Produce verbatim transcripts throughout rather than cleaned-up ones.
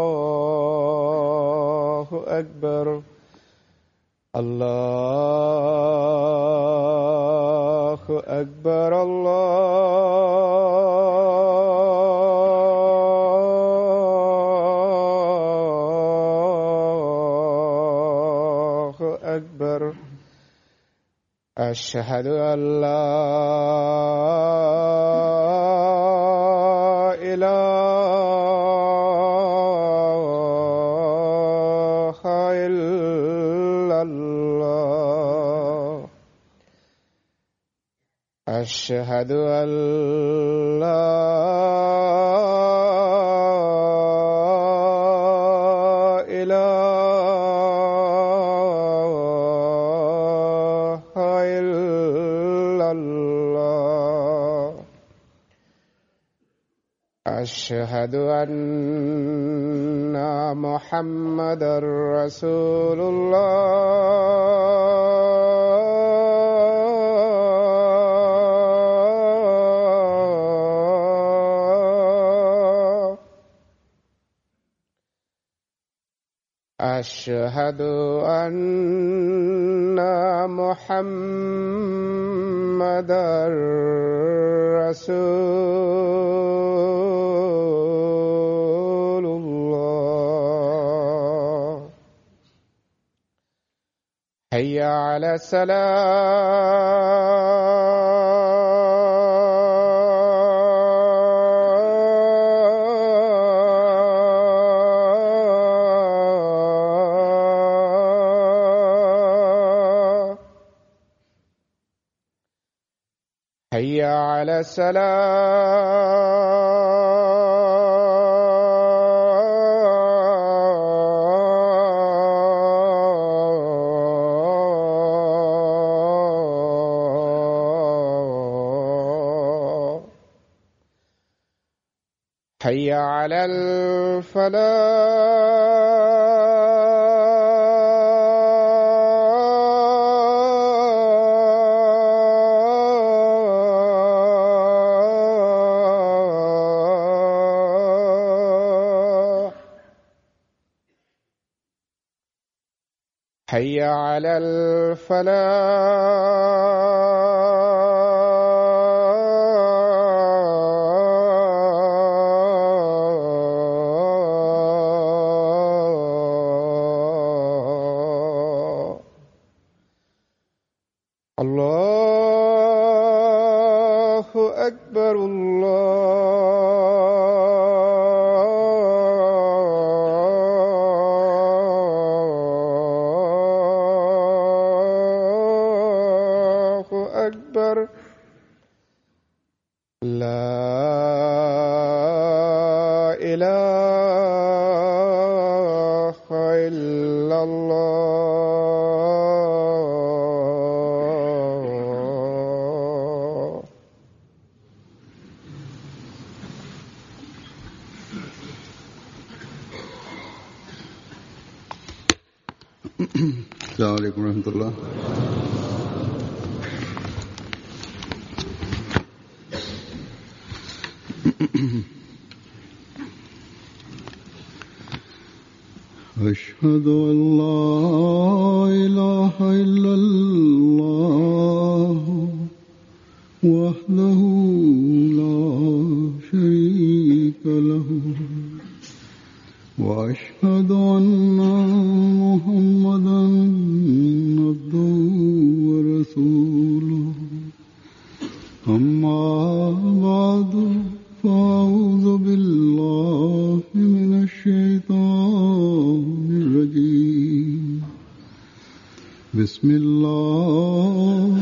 Allahu Akbar, Allahu Akbar, Allahu Akbar, أشهد أن لا إله إلا الله أشهد أن لا أشهد أن محمدًا رسول الله أشهد أن محمدًا رسول الله حي على الصلاة حي على الصلاة حي على الفلاح حي على الفلاح الله أكبر الله أكبر لا إله إلا الله السلام عليكم ورحمة الله. أشهد أن لا إله إلا الله وحده لا شريك له وأشهد أن محمدًا عبده ورسوله أما بعد فأعوذ بالله من الشيطان الرجيم بسم الله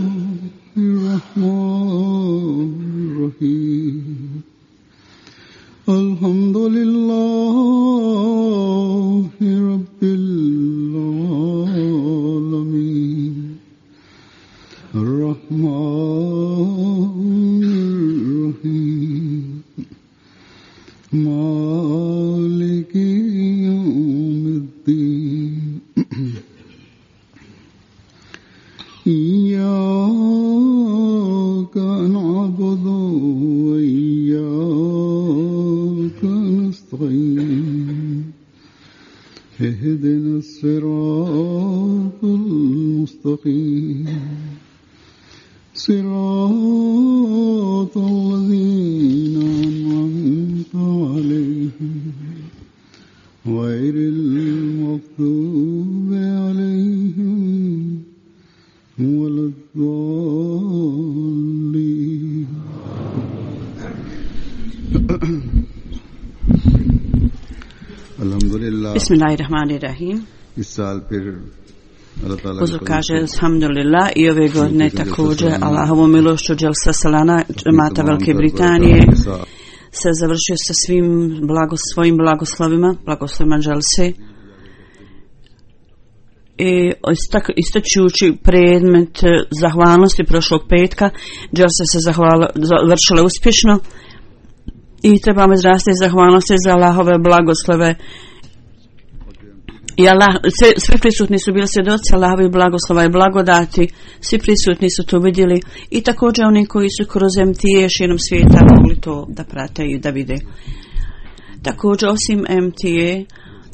الرحمن الرحيم الحمد لله رب العالمين اهدنا الصراط المستقيم صراط الذين أنعمت عليهم غير المغضوب عليهم ولا الضالين. Alhamdulillah. Bismillahirrahmanirrahim. इस साल फिर अल्लाह ताला Uzur kaže alhamdulillah i ove godine također Allahovom milošću Dželsa Salana džemata Velike Britanije se završio sa svim blago, svojim blagoslovima, blagoslovima Dželse. I istačujući predmet zahvalnosti prošlog petka, Dželsa se zahvala, završila uspješno i trebamo izrasti zahvalnosti za Allahove blagoslove. I Allah, sve, sve prisutni su bili svjedoci Allahovi blagoslova i blagodati, svi prisutni su to vidjeli i također oni koji su kroz M T A širom svijeta mogli to da prate i da vide. Također osim M T A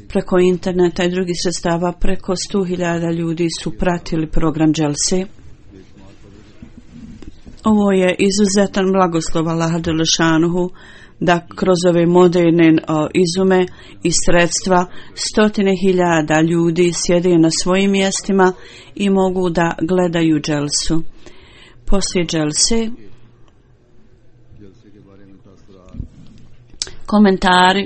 preko interneta i drugih sredstava preko sto hiljada ljudi su pratili program Dželse. Ovo je izuzetan blagoslov Allaha Đelešanuhu da kroz ove moderne o, izume i sredstva stotine hiljada ljudi sjede na svojim mjestima i mogu da gledaju Dželsu. Poslije Dželse komentari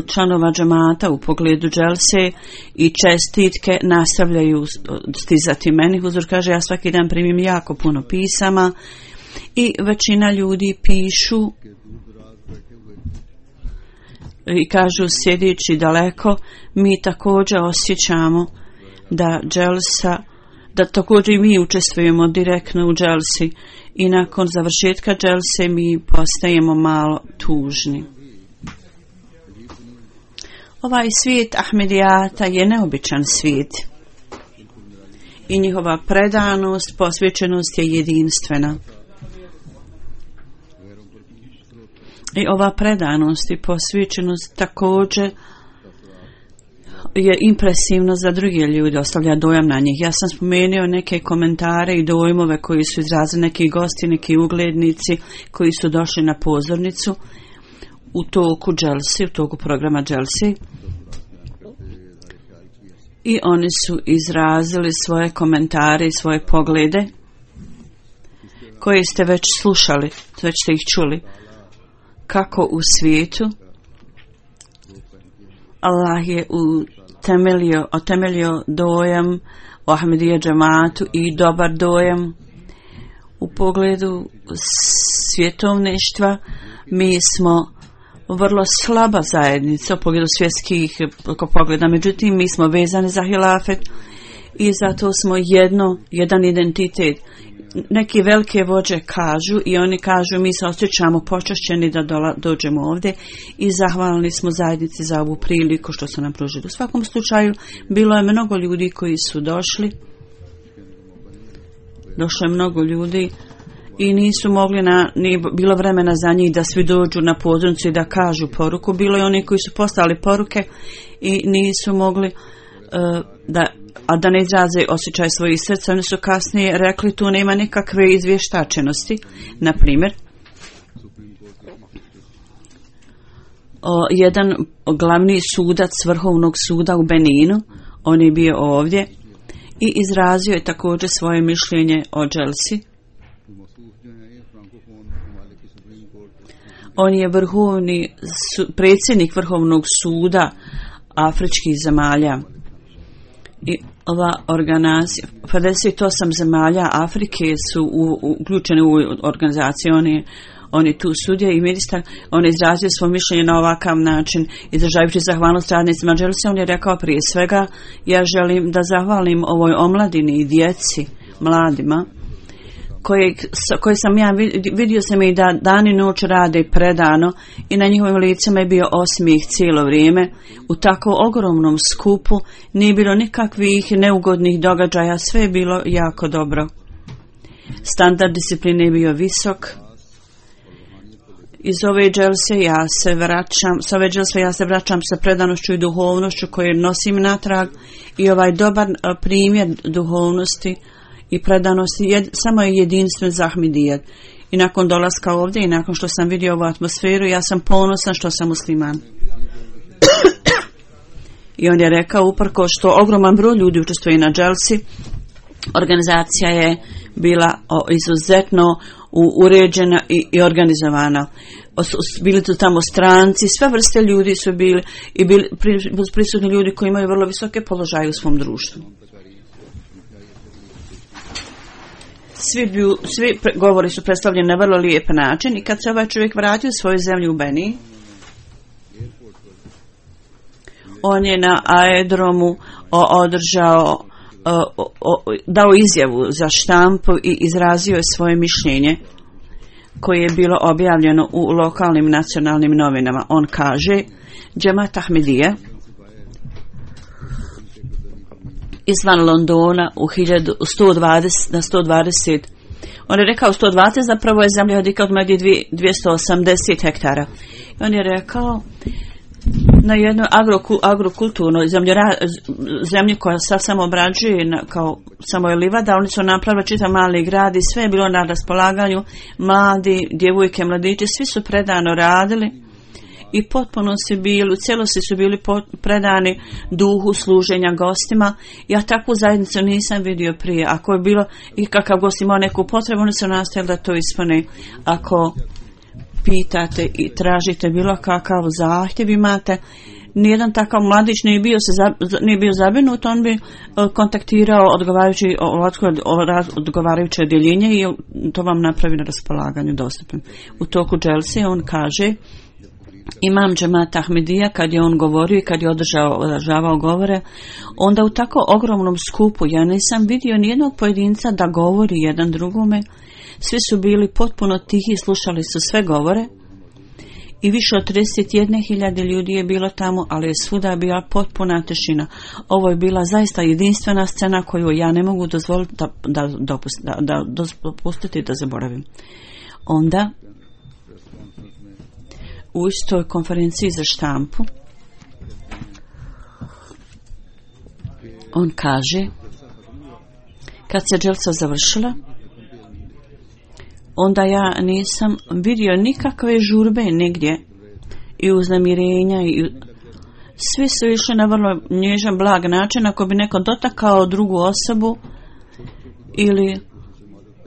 članova džemata u pogledu Dželse i čestitke nastavljaju stizati meni. Huzur kaže, ja svaki dan primim jako puno pisama i većina ljudi pišu i kažu sjedeći daleko, mi također osjećamo da Dželsa, da također i mi učestvujemo direktno u Dželsi i nakon završetka Dželse mi postajemo malo tužni. Ovaj svijet Ahmedijata je neobičan svijet i njihova predanost, posvećenost je jedinstvena. I ova predanost i posvećenost također je impresivno za druge ljude, ostavlja dojam na njih. Ja sam spomenuo neke komentare i dojmove koji su izrazili neki gosti, neki uglednici koji su došli na pozornicu u toku Dželsi, u toku programa Dželsi. I oni su izrazili svoje komentare i svoje poglede koje ste već slušali, već ste ih čuli. Kako u svijetu Allah je utemeljio, otemeljio dojam o Ahmedija džematu i dobar dojam u pogledu svjetovništva. Mi smo vrlo slaba zajednica u pogledu svjetskih pogleda, međutim mi smo vezani za hilafet i zato smo jedno, jedan identitet. Neki velike vođe kažu i oni kažu mi se osjećamo počašćeni da dola, dođemo ovdje i zahvalni smo zajednici za ovu priliku što su nam pružili. U svakom slučaju bilo je mnogo ljudi koji su došli, došlo je mnogo ljudi i nisu mogli, na, nije bilo vremena za njih da svi dođu na pozornicu i da kažu poruku. Bilo je oni koji su poslali poruke i nisu mogli uh, da a da ne izraze osjećaj svojih srca. Oni su kasnije rekli tu nema nikakve izvještačenosti. Na primjer, o, jedan glavni sudac Vrhovnog suda u Beninu, on je bio ovdje i izrazio je također svoje mišljenje o Dželsi. On je vrhovni su, predsjednik Vrhovnog suda afričkih zemalja. I ova organizacija, pedeset osam zemalja Afrike su uključene u organizaciju, oni, oni tu sudje i ministar, on je izrazio svoje mišljenje na ovakav način, izražavajući zahvalnost radnicima Dželse. On je rekao prije svega, ja želim da zahvalim ovoj omladini i djeci, mladima, koje, koje sam ja vidio sam i da dan i noć rade predano i na njihovim licama je bio osmijeh cijelo vrijeme. U tako ogromnom skupu nije bilo nikakvih neugodnih događaja, sve je bilo jako dobro. Standard discipline je bio visok Iz ove dželse ja se vraćam, s ove dželse ja se vraćam sa predanošću i duhovnošću koju nosim natrag i ovaj dobar primjer duhovnosti i predanosti je, samo je jedinstven za Ahmedijet. I nakon dolaska ovdje i nakon što sam vidio ovu atmosferu, ja sam ponosan što sam musliman. I on je rekao, uprko što ogroman broj ljudi učestvuje na dželsi, organizacija je bila o, izuzetno u, uređena i, i organizovana. O, bili su tamo stranci, sve vrste ljudi su bili i bili pri, prisutni ljudi koji imaju vrlo visoke položaje u svom društvu. Svi, bi, svi pre, govori su predstavljeni na vrlo lijep način i kad se ovaj čovjek vratio u svoju zemlju u Beniji, on je na aerodromu održao, o, o, dao izjavu za štampu i izrazio je svoje mišljenje koje je bilo objavljeno u lokalnim nacionalnim novinama. On kaže, Džemat Ahmedija izvan Londona u sto dvadeset na sto dvadeset, on je rekao sto dvadeset, zapravo je zemlja odika od medije dvjesto osamdeset hektara. I on je rekao, na jednoj agrokulturnoj zemlji, zemlji koja sad samo obrađuje na, kao samo je livada, oni su napravili čitav mali grad i sve je bilo na raspolaganju, mladi, djevojke, mladići, svi su predano radili i potpuno su bili, u cijelosti su bili predani duhu služenja gostima. Ja takvu zajednicu nisam vidio prije. Ako je bilo i kakav gost imao neku potrebu, oni su nastavili da to ispune. Ako pitate i tražite bilo kakav zahtjev imate, nijedan takav mladić nije bio, se za, nije bio zabrinut, on bi kontaktirao odgovarajući, odgovarajuće odjeljenje i to vam napravi na raspolaganju dostupnim. U toku dželse on kaže, Imam Džemat Ahmedija, kad je on govorio i kad je održao, održavao govore, onda u tako ogromnom skupu ja nisam vidio nijednog pojedinca da govori jedan drugome. Svi su bili potpuno tihi, slušali su sve govore i više od trideset jedne hiljade ljudi je bilo tamo, ali je svuda bila potpuna tišina. Ovo je bila zaista jedinstvena scena koju ja ne mogu dozvoliti da, da, dopust, da, da dopustiti da zaboravim. Onda u istoj konferenciji za štampu on kaže, kad se dželsa završila, onda ja nisam vidio nikakve žurbe nigdje i uznemirenja i svi su išli na vrlo nježan, blag način. Ako bi neko dotakao drugu osobu ili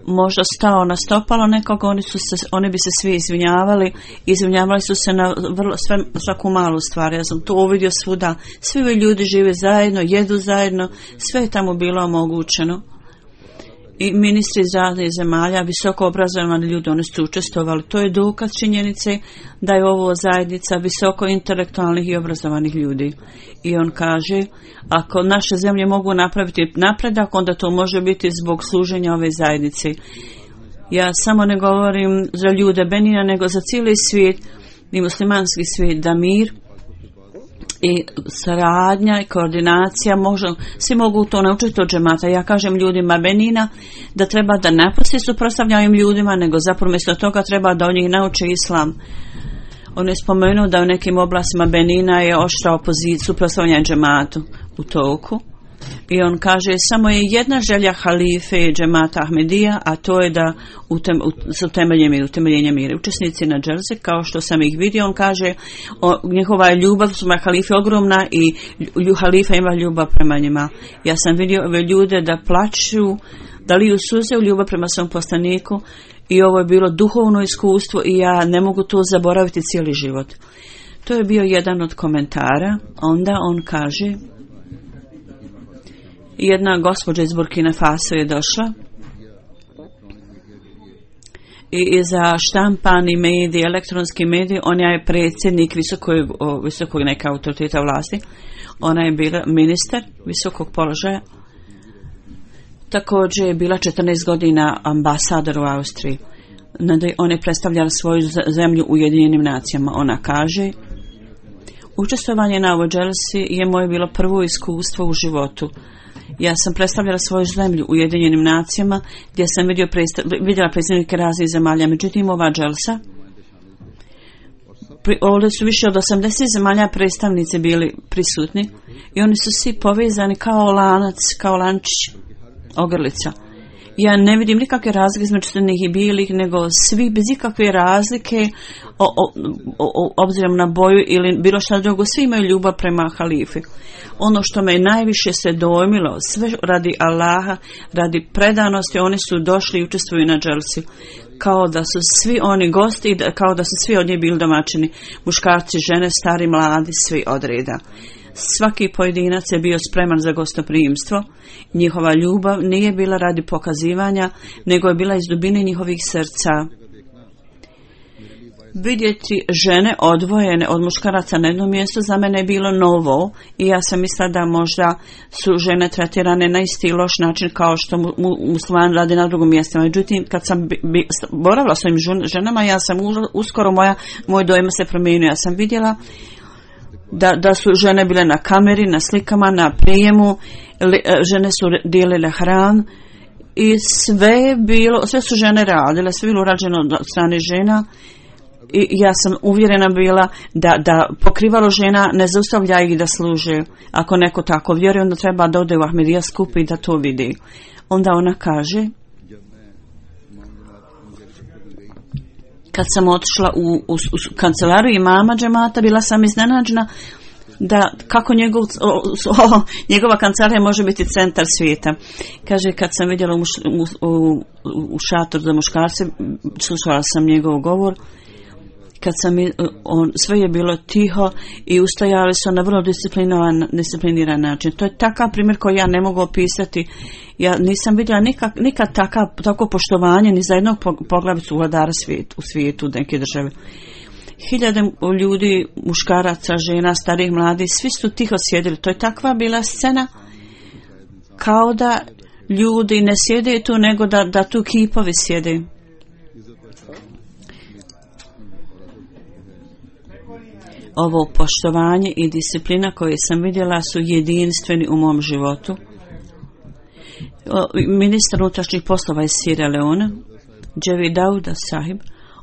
možda stao na stopalo nekog, oni, su se, oni bi se svi izvinjavali, izvinjavali su se na vrlo, sve, svaku malu stvar. Ja sam to uvidio svuda, svi ljudi žive zajedno, jedu zajedno, sve je tamo bilo omogućeno. I ministri iz raznih zemalja, visoko obrazovani ljudi, oni su učestvovali. To je dokaz činjenice da je ovo zajednica visoko intelektualnih i obrazovanih ljudi. I on kaže, ako naše zemlje mogu napraviti napredak, onda to može biti zbog služenja ove zajednice. Ja samo ne govorim za ljude Benina, nego za cijeli svijet i muslimanski svijet, da mir i saradnja i koordinacija, možda, svi mogu to naučiti od džemata. Ja kažem ljudima Benina da treba da napusti suprotstavljanjem ljudima, nego zapravo mjesto toga treba da od njih nauče islam. On je spomenuo da u nekim oblastima Benina je oštra opozicija, suprotstavljanje džematu u toku. I on kaže, samo je jedna želja halife džemata Ahmedija, a to je da utem, s utemeljenjem i utemeljenjem mira. Učesnici na dželsi, kao što sam ih vidio, on kaže, o, njihova je ljubav prema halife ogromna i halifa ima ljubav prema njima. Ja sam vidio ove ljude da plaću, da liju suze u ljubav prema svom poslaniku i ovo je bilo duhovno iskustvo i ja ne mogu to zaboraviti cijeli život. To je bio jedan od komentara. Onda on kaže, jedna gospođa iz Burkina Faso je došla i za štampani mediji, elektronski mediji, ona je predsjednik visokog, visokog neka autoriteta vlasti, ona je bila ministar visokog položaja, također je bila četrnaest godina ambasador u Austriji. Ona je predstavljala svoju zemlju u Ujedinjenim nacijama. Ona kaže, učestvovanje na ovoj dželsi je moje bilo prvo iskustvo u životu. Ja sam predstavljala svoju zemlju u Ujedinjenim nacijama gdje sam vidio predstav, vidjela predstavnike raznih zemalja. Međutim, ova dželsa ovdje su više od osamdeset zemalja predstavnici bili prisutni i oni su svi povezani kao lanac, kao lančić, ogrlica. Ja ne vidim nikakve razlike između crnih i bijelih, nego svi bez ikakve razlike o, o, o, obzirom na boju ili bilo šta drugo, svi imaju ljubav prema halifi. Ono što me najviše se dojmilo, sve radi Allaha, radi predanosti, oni su došli i učestvuju na dželsi. Kao da su svi oni gosti, kao da su svi od njih bili domaćini, muškarci, žene, stari, mladi, svi od reda. Svaki pojedinac je bio spreman za gostoprimstvo. Njihova ljubav nije bila radi pokazivanja, nego je bila iz dubine njihovih srca. Vidjeti žene odvojene od muškaraca na jednom mjestu za mene je bilo novo i ja sam mislila da možda su žene tretirane na isti loš način kao što mu, mu, muslimani rade na drugom mjestu. Međutim, kad sam bi, bi, boravila s ovim ženama, ja sam uskoro moja, moj dojam se promijenio. Ja sam vidjela Da, da su žene bile na kameri, na slikama, na prijemu, li, žene su dijelile hran i sve je bilo, sve su žene radile, sve je bilo urađeno od strane žena i ja sam uvjerena bila da, da pokrivalo žena ne zaustavlja ih da služe. Ako neko tako vjeruje, onda treba da ode u Ahmedija skup i da to vidi. Onda ona kaže, kad sam otišla u, u, u kancelariju imama džemata, bila sam iznenađena da kako njegov, o, o, njegova kancelarija može biti centar svijeta. Kaže, kad sam vidjela u, muš, u, u, u šator za muškarce, slušala sam njegov govor, kad sam, on, sve je bilo tiho i ustajali su na vrlo disciplinovan, discipliniran način. To je takav primjer koji ja ne mogu opisati. Ja nisam vidjela nikak, nikad takav, tako poštovanje ni za jednog poglavicu vladara svijet, u svijetu neke države. Hiljade ljudi, muškaraca, žena, starih, mladih, svi su tiho sjedili. To je takva bila scena kao da ljudi ne sjede tu, nego da, da tu kipovi sjede. Ovo poštovanje i disciplina koje sam vidjela su jedinstveni u mom životu. Ministar unutrašnjih poslova iz Sierra Leona, Dževi Dauda Sahib,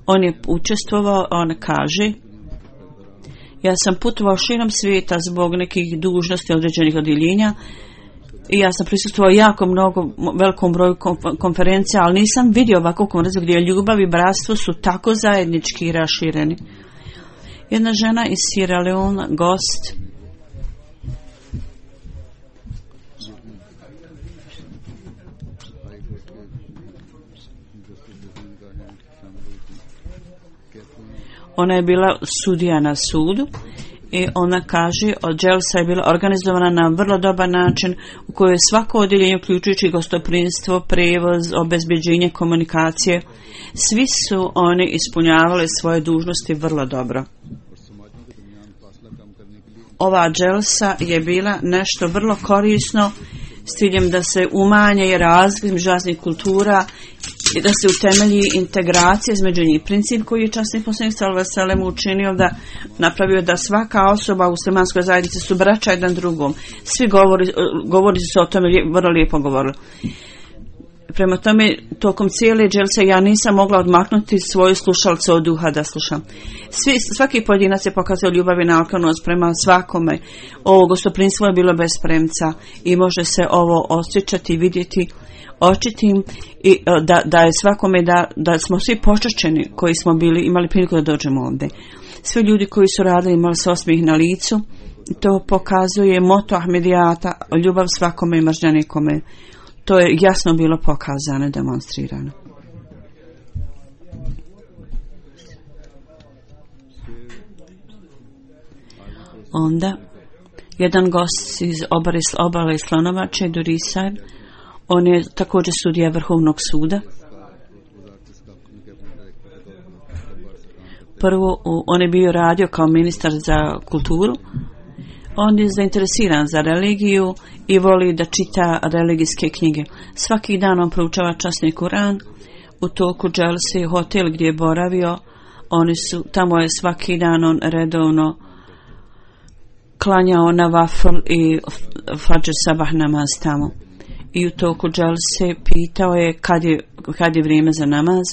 on je učestvovao, on kaže, ja sam putovao širom svijeta zbog nekih dužnosti određenih odjeljenja i ja sam prisustvovao jako mnogo, velikom broju konferencija, ali nisam vidio ovakvu konferenciju gdje ljubav i bratstvo su tako zajednički i rašireni. Jedna žena iz Sierra Leona, gost, ona je bila sudija na sudu i ona kaže, od dželsa je bila organizovana na vrlo dobar način u kojoj je svako odjeljenje, uključujući gostoprimstvo, prevoz, obezbeđenje, komunikacije, svi su oni ispunjavali svoje dužnosti vrlo dobro. Ova dželsa je bila nešto vrlo korisno s ciljem da se umanje razlike između raznih kultura i da se utemelji integracija između njih. Princip koji je časni poslanik sallallahu alejhi ve sellem učinio da napravio da svaka osoba u muslimanskoj zajednici su braća jedan drugom. Svi govori, govori su o tome vrlo lijepo govorili. Prema tome, tokom cijele dželse ja nisam mogla odmaknuti svoju slušalcu od duha da slušam. Svi, svaki pojedinac je pokazao ljubav i naklonost prema svakome. Ovo gostoprimstvo je bilo bez premca i može se ovo osjećati i vidjeti očitim i da, da je svakome da, da smo svi počašćeni koji smo bili imali priliku da dođemo ovdje. Svi ljudi koji su radili imali se osmijeh na licu. To pokazuje moto Ahmedijata, ljubav svakome i mržnja nikome. To je jasno bilo pokazano i demonstrirano. Onda jedan gost iz obale, obale Slonovače, Durisaj, on je također sudija Vrhovnog suda. Prvo, on je bio radio kao ministar za kulturu. On je zainteresiran za religiju i voli da čita religijske knjige. Svaki dan on proučava časni Kuran. U toku dželse, hotel gdje je boravio, oni su, tamo je svaki dan on redovno klanjao na vafl i fadžr sabah namaz tamo. I u toku dželse pitao je kad je, kad je vrijeme za namaz.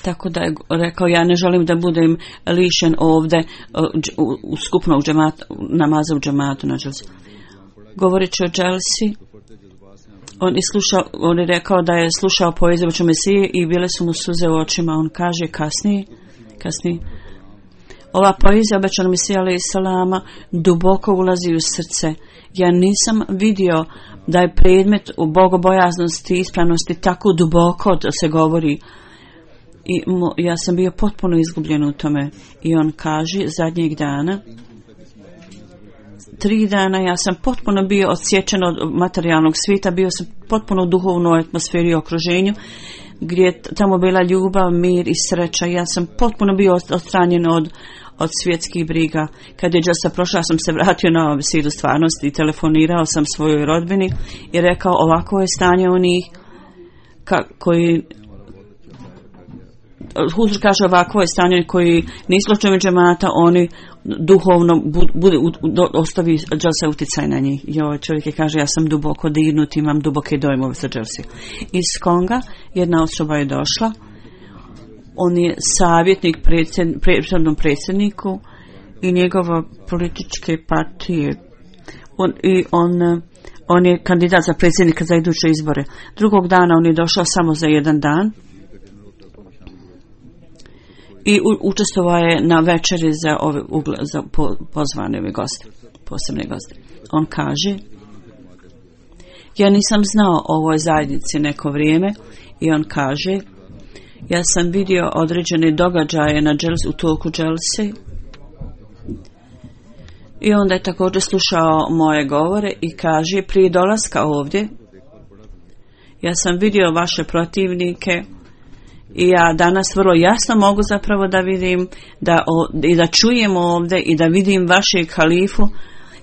Tako da je rekao, ja ne želim da budem lišen ovdje u, u skupnom džematu, namaza u džematu na dželsi. Govoreći o dželsi, on, slušao, on je rekao da je slušao poeziju oču Mesije i bile su mu suze u očima. On kaže kasnije, kasnije ova poezija obećanog Mesija alejhi selama duboko ulazi u srce. Ja nisam vidio da je predmet u bogobojaznosti i ispravnosti tako duboko da se govori. I mo, ja sam bio potpuno izgubljen u tome. I on kaže zadnjeg dana, tri dana ja sam potpuno bio odsječen od materijalnog svijeta, bio sam potpuno u duhovnoj atmosferi i okruženju, gdje je tamo bila ljubav, mir i sreća. Ja sam potpuno bio odstranjen od, od svjetskih briga. Kad je dželsa prošla, sam se vratio na ovu sidu stvarnosti i telefonirao sam svojoj rodbini i rekao, ovako je stanje onih ka, koji Huzur kaže, ovako je stanje koji nisu članovi džemata, oni duhovno bude ostavi dželsa utjecaj na njih. I ovaj čovjek je kaže, ja sam duboko dirnut, imam duboke dojmove sa dželsi. Iz Konga jedna osoba je došla, on je savjetnik predsjed, predsjednom predsjedniku i njegova političke partije. On, i on, on je kandidat za predsjednika za iduće izbore. Drugog dana on je došao samo za jedan dan i u, učestvovao je na večeri za, ove, za po, pozvane ove goste, posebne goste. On kaže, ja nisam znao o ovoj zajednici neko vrijeme i on kaže, ja sam vidio određene događaje na dželsi, u toku dželse i onda je također slušao moje govore i kaže, prije dolaska ovdje ja sam vidio vaše protivnike i ja danas vrlo jasno mogu zapravo da vidim da, o, i da čujem ovdje i da vidim vašeg halifu.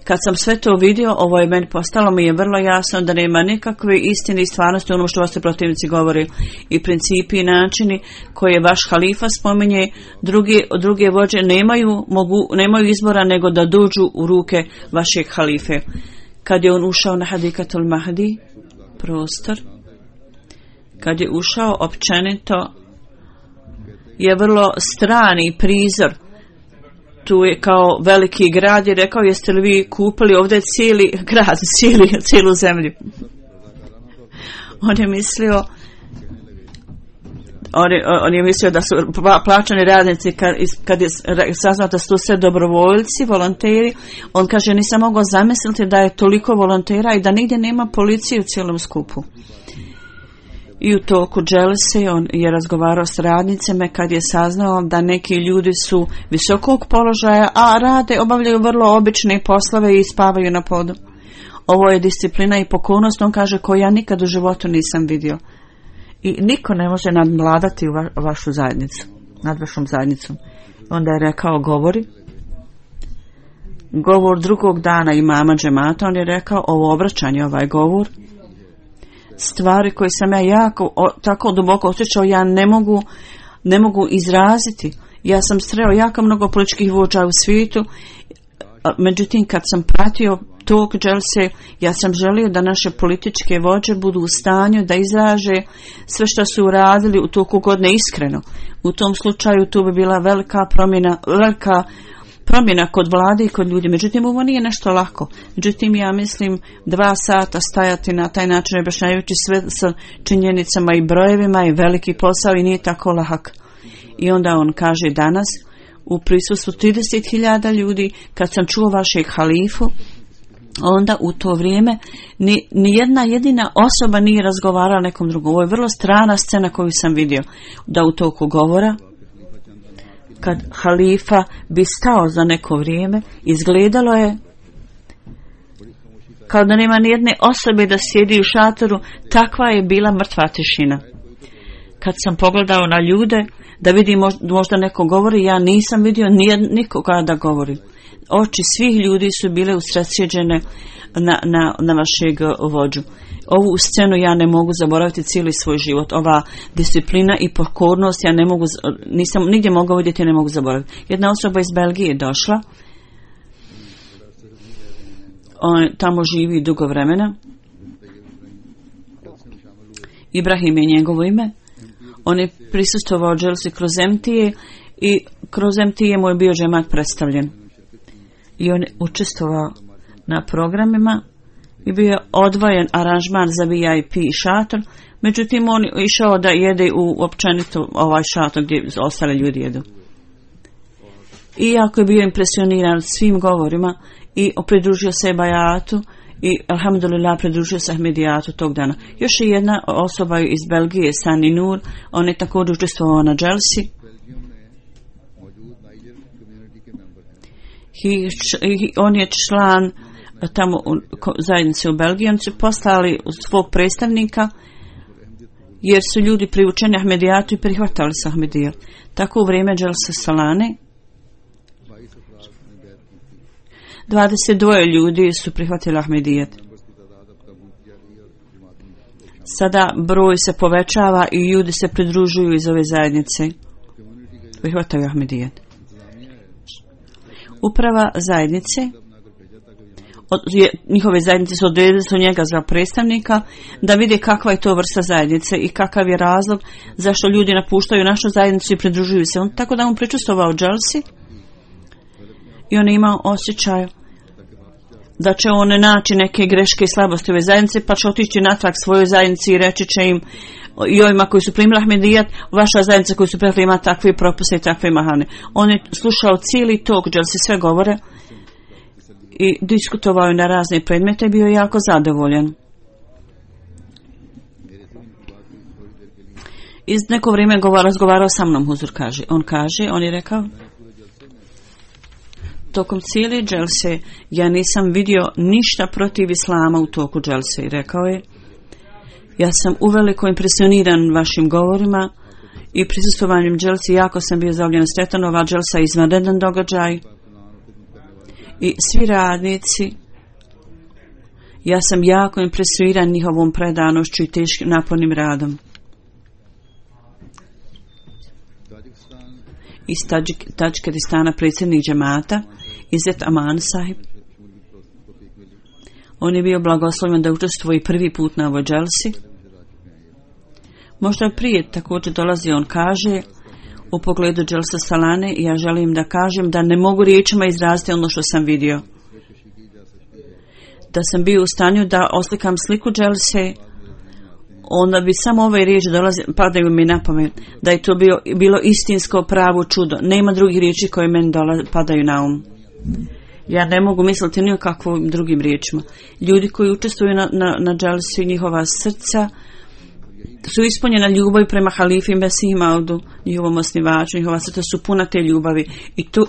Kad sam sve to vidio, ovo je meni postalo, mi je vrlo jasno da nema nikakve istine i stvarnosti ono što vaši protivnici govori i principi i načini koje vaš halifa spominje. Drugi, druge vođe nemaju, mogu, nemaju izbora nego da dođu u ruke vašeg halife. Kad je on ušao na Hadikatul Mahdi, prostor, kad je ušao općenito, je vrlo strani prizor. Tu je kao veliki grad i rekao, jeste li vi kupili ovdje cijeli grad, cijeli, cijelu zemlju. On je mislio, on je, on je mislio da su plaćani radnici, kad, kad je saznao da su sve dobrovoljci, volonteri, on kaže, nisam mogao zamisliti da je toliko volontera i da nigdje nema policije u cijelom skupu. I u toku dželse on je razgovarao s radnicima kad je saznao da neki ljudi su visokog položaja, a rade, obavljaju vrlo obične poslove i spavaju na podu. Ovo je disciplina i pokornost, on kaže, koju ja nikad u životu nisam vidio. I niko ne može nadvladati va, vašu zajednicu, nad vašom zajednicom. Onda je rekao, govori. Govor drugog dana imama džemata, on je rekao, ovo obraćanje, ovaj govor, stvari koje sam ja jako, o, tako duboko osjećao, ja ne mogu, ne mogu izraziti. Ja sam sreo jako mnogo političkih vođa u svijetu, međutim kad sam pratio tog dželse, ja sam želio da naše političke vođe budu u stanju da izraže sve što su uradili u toku godine iskreno. U tom slučaju tu bi bila velika promjena, velika promjena kod vlade i kod ljudi. Međutim, ovo nije nešto lako. Međutim, ja mislim dva sata stajati na taj način objašnjavajući sve sa činjenicama i brojevima je veliki posao i nije tako lahak. I onda on kaže danas u prisustvu trideset hiljada ljudi, kad sam čuo vašeg halifu, onda u to vrijeme ni, ni jedna jedina osoba nije razgovarala nekom drugom. Ovo je vrlo strana scena koju sam vidio. Da u toku govora, kad halifa bi stao za neko vrijeme, izgledalo je kao da nema nijedne osobe da sjedi u šatoru, takva je bila mrtva tišina. Kad sam pogledao na ljude, da vidim možda neko govori, ja nisam vidio nikoga da govori. Oči svih ljudi su bile usredsjeđene na, na, na vašeg vođu. Ovu scenu ja ne mogu zaboraviti cijeli svoj život. Ova disciplina i pokornost ja ne mogu, nisam nigdje mogao vidjeti, ne mogu zaboraviti. Jedna osoba iz Belgije je došla. On tamo živi dugo vremena. Ibrahim je njegovo ime. On je prisustvovao dželsi kroz em te a i kroz em te a mu je bio džemat predstavljen. I on je učestvovao na programima i bio odvojen aranžman za V I P šator, međutim on je išao da jede u općenito ovaj šator gdje ostale ljudi jedu. Iako je bio impresioniran svim govorima i pridružio se bajatu i alhamdulillah pridružio se Ahmedijatu tog dana. Još je jedna osoba iz Belgije, Sani Nur, on je također učestvovao na dželsi. I, on je član tamo u zajednice u Belgiji. Oni su poslali svog predstavnika jer su ljudi priučeni Ahmedijatu i prihvatali se Ahmedijat. Tako u vrijeme dželsa Salane dvadeset dva ljudi su prihvatili Ahmedijat. Sada broj se povećava i ljudi se pridružuju iz ove zajednice. Prihvataju Ahmedijat. Uprava zajednice, od, je, njihove zajednice su odredili su njega za predstavnika da vide kakva je to vrsta zajednice i kakav je razlog zašto ljudi napuštaju našu zajednicu i pridružuju se. On tako da mu pričustvovao dželsi i on je imao osjećaj da će on naći neke greške i slabosti ove zajednice, pa će otići natrag svojoj zajednici i reći će im i ovima koji su primili Ahmedijat, vaša zajednica koji su prihvatili ima takve propise i takve mahane. On je slušao cijeli tok dželsi, sve govore i diskutovao je na razne predmete i bio je jako zadovoljan. Iz neko vrijeme govor, razgovarao sa mnom, Huzur kaže. On kaže, on je rekao, tokom cijele dželse ja nisam vidio ništa protiv islama u toku dželse. I rekao je, ja sam uveliko impresioniran vašim govorima i prisustvovanjem dželsi, jako sam bio zavljen sretan, ova dželsa je izvanredan događaj i svi radnici, ja sam jako impresioniran njihovom predanošću i teškim napornim radom. Iz Tadžikistana predsjednik džemata Izzet Aman Sahib. On je bio blagoslovljen da učestvuje prvi put na ovoj dželsi. Možda prije također dolazi, on kaže, u pogledu dželsa Salane, ja želim da kažem da ne mogu riječima izraziti ono što sam vidio. Da sam bio u stanju da oslikam sliku dželse, onda bi samo ove riječi dolaze, padaju mi na pamet, da je to bio, bilo istinsko pravo čudo. Nema drugih riječi koje meni dolaze, padaju na um. Ja ne mogu misliti ni o kakvim drugim riječima. Ljudi koji učestvuju na, na, na dželsi, njihova srca su ispunjena ljubavi prema halifi Mesih Maudu, njihovom osnivaču, njihova srca su puna te ljubavi i to,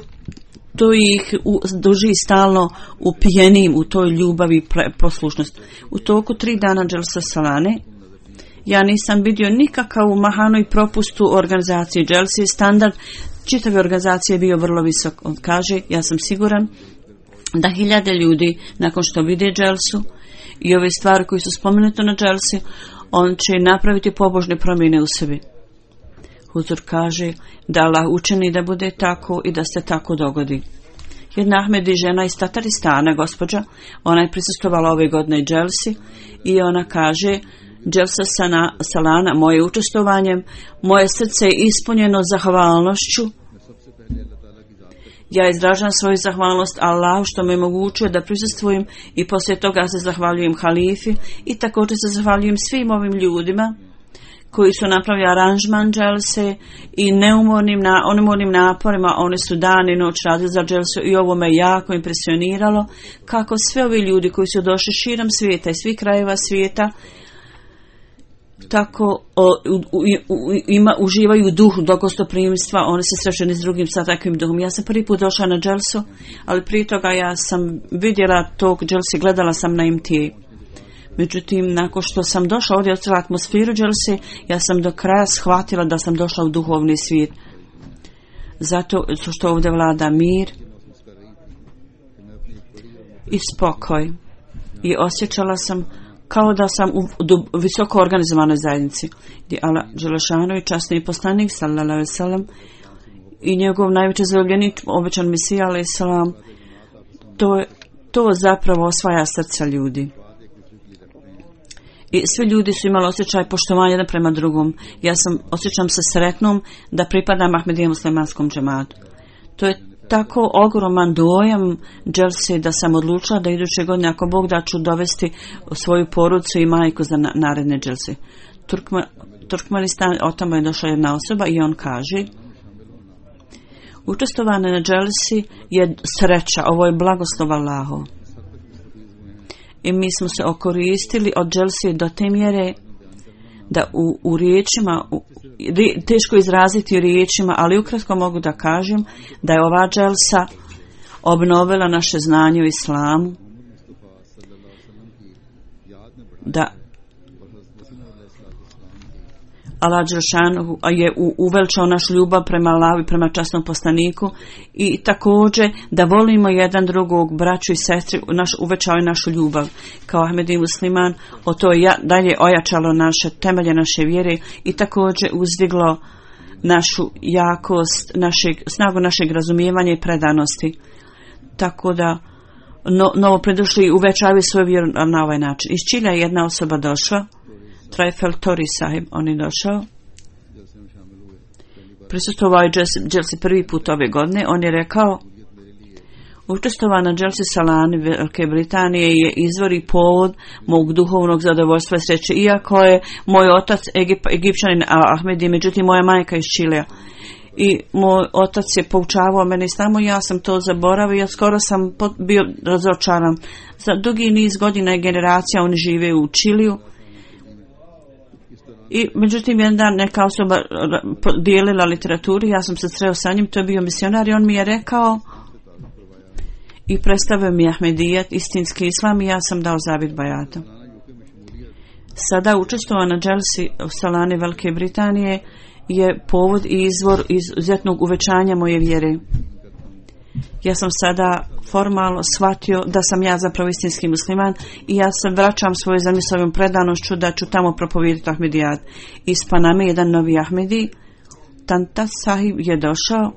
to ih u, drži stalno upijenim u toj ljubavi pre, poslušnost. U toku tri dana dželsa Salane ja nisam vidio nikakav mahanu i propust u organizaciji dželsi. Standard čitave organizacije je bio vrlo visok. On kaže, ja sam siguran da hiljade ljudi nakon što vide dželsu i ove stvari koje su spomenute na dželsi, on će napraviti pobožne promjene u sebi. Huzur kaže da Allah učini da bude tako i da se tako dogodi. Jedna Ahmedi žena iz Tataristana, gospođa, ona je prisustvovala ove godine dželsi i ona kaže, dželsa Salana, moje učestvovanjem, moje srce je ispunjeno zahvalnošću. Ja izražavam svoju zahvalnost Allahu što me omogućuje da prisustvujem i poslije toga se zahvaljujem halifi i također se zahvaljujem svim ovim ljudima koji su napravili aranžman dželse i neumornim, na, neumornim naporima. Oni su dan i noć radili za dželsu i ovo me jako impresioniralo kako sve ovi ljudi koji su došli širom svijeta i svih krajeva svijeta tako o, u, u, u, ima, uživaju duh dogostoprimstva, oni se srećeni s drugim sa takvim duhom. Ja sam prvi put došla na dželsu, ali prije toga ja sam vidjela tog dželsi, gledala sam na em te a. Međutim, nakon što sam došla ovdje, ostavila atmosferu dželse, ja sam do kraja shvatila da sam došla u duhovni svijet. Zato što ovdje vlada mir i spokoj. I osjećala sam kao da sam u visoko organizovanoj zajednici, gdje Allah Đelešanu i časni poslanik sallallahu alejhi ve sellem i njegov najveći zaljubljenik obećan Mesija alejhi selam, to to zapravo osvaja srca ljudi. i svi ljudi su imali osjećaj poštovanja jedan prema drugom. Ja sam, osjećam se sretnom da pripadam Ahmedijem muslimanskom džematu. To je tako ogroman dojam dželse da sam odlučila da iduće godine, ako Bog da, ću dovesti svoju porodicu i majku za na, naredne dželse. Turkma, Turkmenistan, od tamo je došla jedna osoba i on kaže: učestvovanje na dželsi je sreća, ovo je blagoslov Allahov. I mi smo se okoristili od dželsi do te mjere da u, u riječima, u, teško izraziti riječima, ali ukratko mogu da kažem da je ova dželsa obnovila naše znanje u islamu, da Allah Đelešanu je uveličao našu ljubav prema Allahu i prema časnom poslaniku i također da volimo jedan drugog, braću i sestri, naš, uvećao je našu ljubav kao Ahmedi musliman, o to je dalje ojačalo naše temelje naše vjere i također uzdiglo našu jakost, našeg, snagu našeg razumijevanja i predanosti. Tako da no, novo predošli uvećavaju svoju vjeru na ovaj način. Iz Čilja je jedna osoba došla, Trajfel Tori sahib, on je došao. Prisustvovao je dželsi prvi put ove godine. On je rekao: učestvovao na dželsi Salani Velike Britanije je izvor i povod mog duhovnog zadovoljstva i sreće. Iako je moj otac Egip, Egipćanin Ahmedi, međutim moja majka iz Čilea. I moj otac je poučavao mene islamu, ja sam to zaboravio, ja skoro sam bio razočaran. Za dugi niz godina i generacija oni žive u Čiliju. I međutim jedan dan neka osoba dijelila literaturu, ja sam se sreo sa njim, to je bio misionar i on mi je rekao i predstavio mi Ahmedijet, istinski islam, i ja sam dao zavjet bajata. Sada učestvovao na dželsi u Salani Velike Britanije je povod i izvor izuzetnog uvećanja moje vjere. Ja sam sada formalno shvatio da sam ja zapravo istinski musliman i ja se vraćam svoju zemlju s ovim predanošću da ću tamo propovijediti Ahmedijat. Iz Paname jedan novi Ahmedi, Tanta sahib, je došao.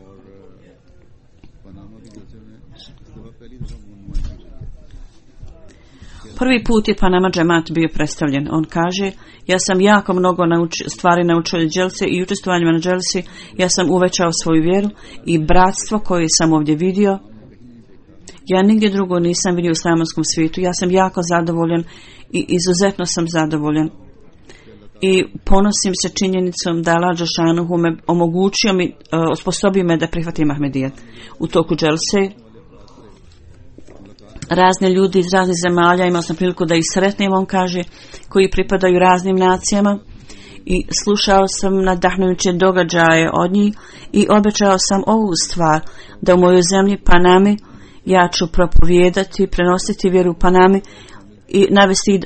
Prvi put je Panama džemat bio predstavljen. On kaže: ja sam jako mnogo nauči, stvari naučio od dželse i učestvovanjima na dželsi ja sam uvećao svoju vjeru i bratstvo koje sam ovdje vidio. Ja nigdje drugo nisam vidio u islamanskom svijetu. Ja sam jako zadovoljan i izuzetno sam zadovoljan. I ponosim se činjenicom da Allah Đelešanu me omogućio mi, osposobio me da prihvatim Ahmedijat. U toku dželse razne ljudi iz raznih zemalja, imao sam priliku da ih sretnem, on kaže, koji pripadaju raznim nacijama, i slušao sam nadahnujuće događaje od njih i obećao sam ovu stvar, da u mojoj zemlji Panami ja ću propovijedati, prenositi vjeru u Panami i navesti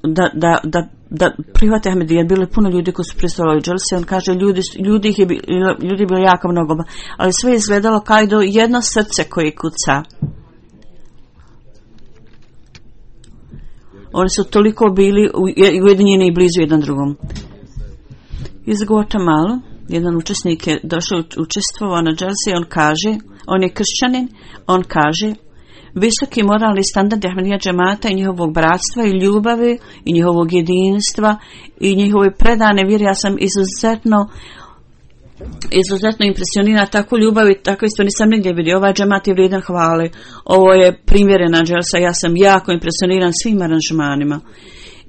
da, da, da, da prihvate Ahmedijat. Bilo je puno ljudi koji su prisustvovali u dželsi. On kaže, ljudi, ljudi ih je bilo, ljudi je bilo jako mnogo, ali sve je izgledalo kao do jedno srce koje kuca. Oni su toliko bili ujedinjeni i blizu jedan drugom. Iz Guatemala jedan učesnik je došao, učestvovao na dželsi, on kaže, on je kršćanin, on kaže: visoki moralni standard Ahmedija džemata i njihovog bratstva i ljubavi i njihovog jedinstva i njihove predane vjere, ja sam izuzetno izuzetno impresioniran, tako ljubavi, tako isto nisam nigdje vidio. Ovaj džemat je vrijedan hvale, ovo je primjerena dželsa, ja sam jako impresioniran svim aranžmanima.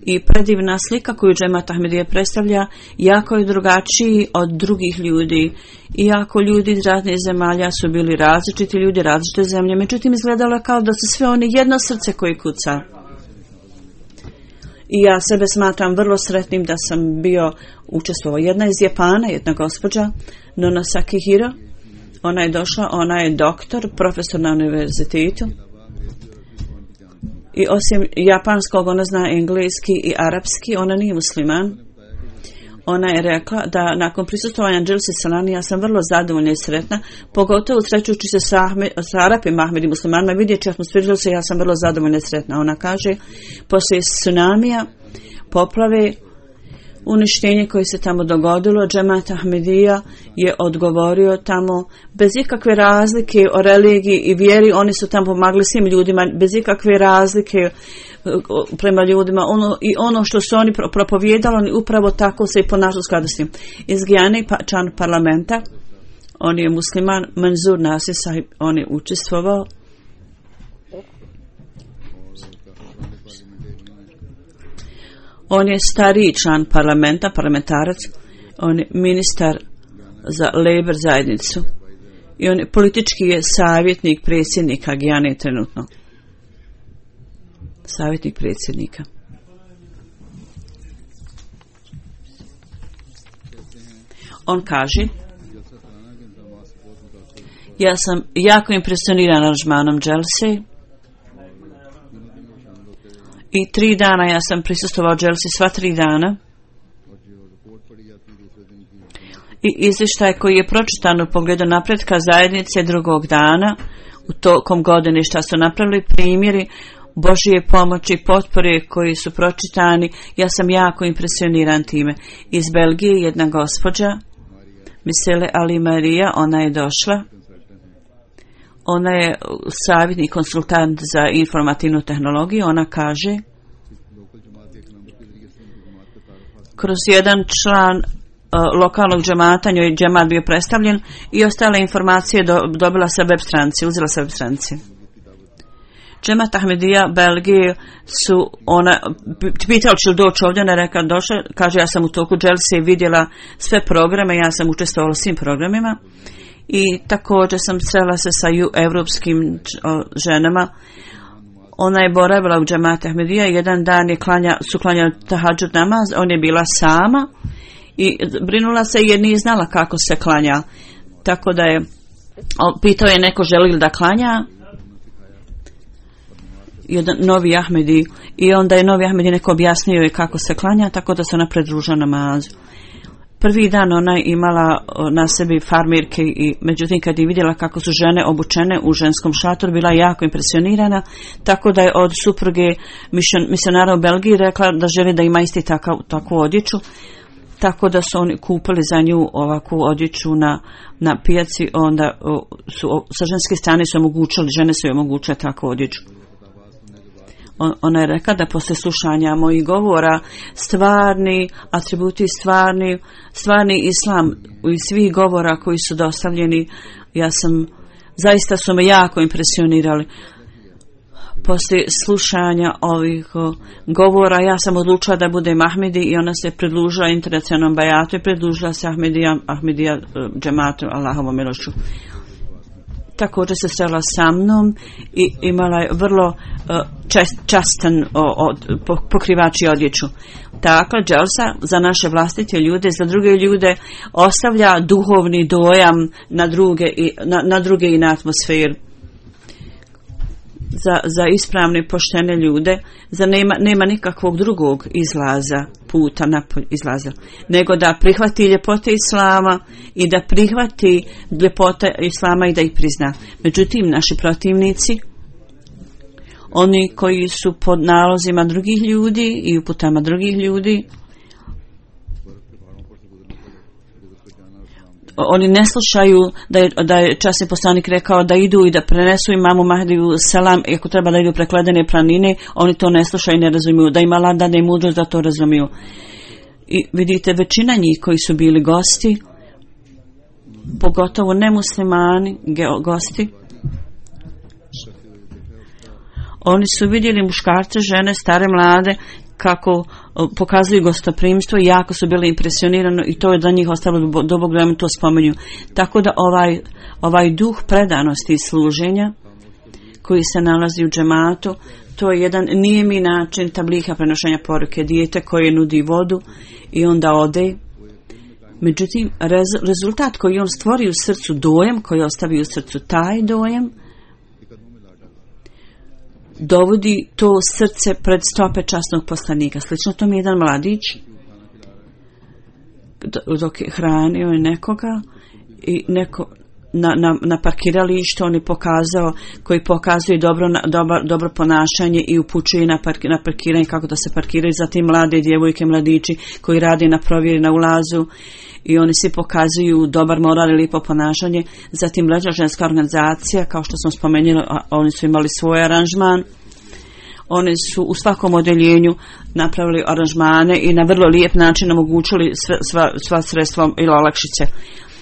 I predivna slika koju džemat Ahmedija predstavlja jako je drugačiji od drugih ljudi. Iako ljudi iz raznih zemalja su bili različiti ljudi, različite zemlje, međutim izgledalo kao da su sve oni jedno srce koje kuca. I ja sebe smatram vrlo sretnim da sam bio učestvovao. Jedna iz Japana, jedna gospođa, Nona Sakihiro, ona je došla, ona je doktor, profesor na univerzitetu. I osim japanskog, ona zna engleski i arapski, ona nije musliman. Ona je rekla da nakon prisustvovanja dželsi Salani ja sam vrlo zadovoljna i sretna, pogotovo srećujući se sa, Ahmed, sa Arapima, Ahmedi muslimanima, vidjeći atmosferu dželsi, ja sam vrlo zadovoljna i sretna. Ona kaže, poslije tsunamija, poplave, uništenje koje se tamo dogodilo, Džemat Ahmedija je odgovorio tamo bez ikakve razlike o religiji i vjeri. Oni su tamo pomagali svim ljudima bez ikakve razlike prema ljudima. Ono, i ono što su oni propovijedali, oni upravo tako se i ponašali u skladu s tim. Iz Gijane, pa, član parlamenta, on je musliman, Manzur Nasir Sahib, on je učestvovao. On je stariji član parlamenta, parlamentarac, on je ministar za Labour zajednicu i on je politički je savjetnik predsjednika Gijane trenutno. Savjetnik predsjednika. On kaže: ja sam jako impresioniran aranžmanom dželse i tri dana ja sam prisustvovao dželsi, sva tri dana, i izvještaj koji je pročitan u pogledu napretka zajednice drugog dana u tokom godine šta su napravili, primjeri Božije pomoći i potpore koji su pročitani. Ja sam jako impresioniran time. Iz Belgije jedna gospođa Misele Ali Marija, ona je došla. Ona je savjetnik, konsultant za informativnu tehnologiju. Ona kaže: kroz jedan član uh, lokalnog džemata, njoj je džemat bio predstavljen i ostale informacije do, dobila sa web stranice, uzela sa web stranice. Džemat Ahmedija Belgije su ona pitala će li doći ovdje, ona je rekla došla, kaže ja sam u toku dželse vidjela sve programe, ja sam učestvovala u svim programima i također sam srela se sa evropskim ženama. Ona je boravila u Džemat Ahmedija i jedan dan je klanja, su klanjali tahadžud namaz, on je bila sama i brinula se jer nije znala kako se klanja, tako da je pitao je neko želi li da klanja, jedan novi Ahmedi, i onda je novi Ahmedi neko objasnio je kako se klanja, tako da se ona pridružila namazu. Prvi dan ona je imala na sebi farmirke i međutim kad je vidjela kako su žene obučene u ženskom šatoru, bila jako impresionirana, tako da je od supruge misionara u Belgiji rekla da želi da ima isti takav, takvu odjeću, tako da su oni kupili za nju ovakvu odjeću na, na pijaci, onda su sa ženske strane su omogućili, žene su joj omogućile takvu odjeću. Ona je rekla da posle slušanja mojih govora stvarni atributi, stvarni, stvarni islam i svih govora koji su dostavljeni, ja sam, zaista su me jako impresionirali. Poslije slušanja ovih govora ja sam odlučila da budem Ahmedi i ona se pridružila internacionalnom bajatu i pridružila se Ahmedija, Ahmedija džematu Allahovom milošću. Također se srela sa mnom i imala je vrlo čest, častan o, o, pokrivač i odjeću. Takva dželsa za naše vlastite ljude, za druge ljude ostavlja duhovni dojam na druge i na, na druge i na atmosferu. Za, za ispravne poštene ljude, za nema, nema nikakvog drugog izlaza, puta napolj izlaza, nego da prihvati ljepote Islama i da prihvati ljepote Islama i da ih prizna. Međutim, naši protivnici, oni koji su pod nalozima drugih ljudi i uputama drugih ljudi, oni ne slušaju da je, da je časni poslanik rekao da idu i da prenesu imamu Mahdiju selam, i ako treba da idu preko ledene planine, oni to ne slušaju i ne razumiju, da im Allah dade mudrost da to razumiju. I vidite, većina njih koji su bili gosti, pogotovo nemuslimani gosti, oni su vidjeli muškarce, žene, stare, mlade, kako pokazuju gostoprimstvo i jako su bili impresionirani i to je za njih ostalo do Bog da mi to spomenju. Tako da ovaj, ovaj duh predanosti i služenja koji se nalazi u džematu, to je jedan nijemi način tabliha prenošenja poruke, dijete koje nudi vodu i onda ode. Međutim, rez, rezultat koji on stvori u srcu, dojam koji ostavi u srcu, taj dojam dovodi to srce pred stope časnog poslanika. Slično tom jedan mladić dok je hranio nekoga i neko na, na, na parkiralištu, on je pokazao, koji pokazuje dobro, dobro, dobro ponašanje i upućuje na, park, na parkiranje, kako da se parkiraju, zatim mlade djevojke, mladići koji rade na provjeri na ulazu i oni svi pokazuju dobar moral i lijepo ponašanje. Zatim mlađa ženska organizacija, kao što sam spomenula, oni su imali svoj aranžman. Oni su u svakom odeljenju napravili aranžmane i na vrlo lijep način omogućili sve, sva, sva sredstva ili olakšice.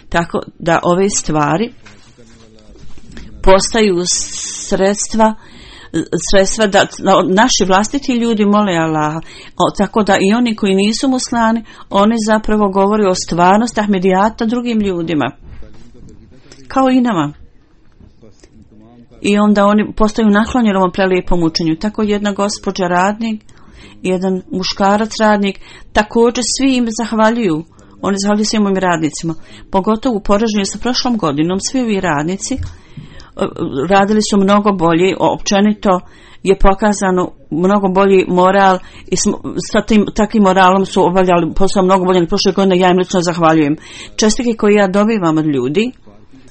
Tako da ove stvari postaju sredstva sredstva da naši vlastiti ljudi mole Allaha. O, tako da i oni koji nisu muslimani, oni zapravo govore o stvarnosti Ahmedijata drugim ljudima. Kao i nama. I onda oni postaju naklonjeni ovom prelijepom učenju. Tako jedna gospođa radnik, jedan muškarac radnik, također svi im zahvaljuju. Oni zahvaljuju svim ovim radnicima. Pogotovo u poređenju sa prošlom godinom, svi ovi radnici radili su mnogo bolje, općenito je pokazano mnogo bolji moral i sa tim takvim moralom su obavljali posao mnogo bolje nego prošle godine. Ja im lično zahvaljujem. Čestitke koje ja dobivam od ljudi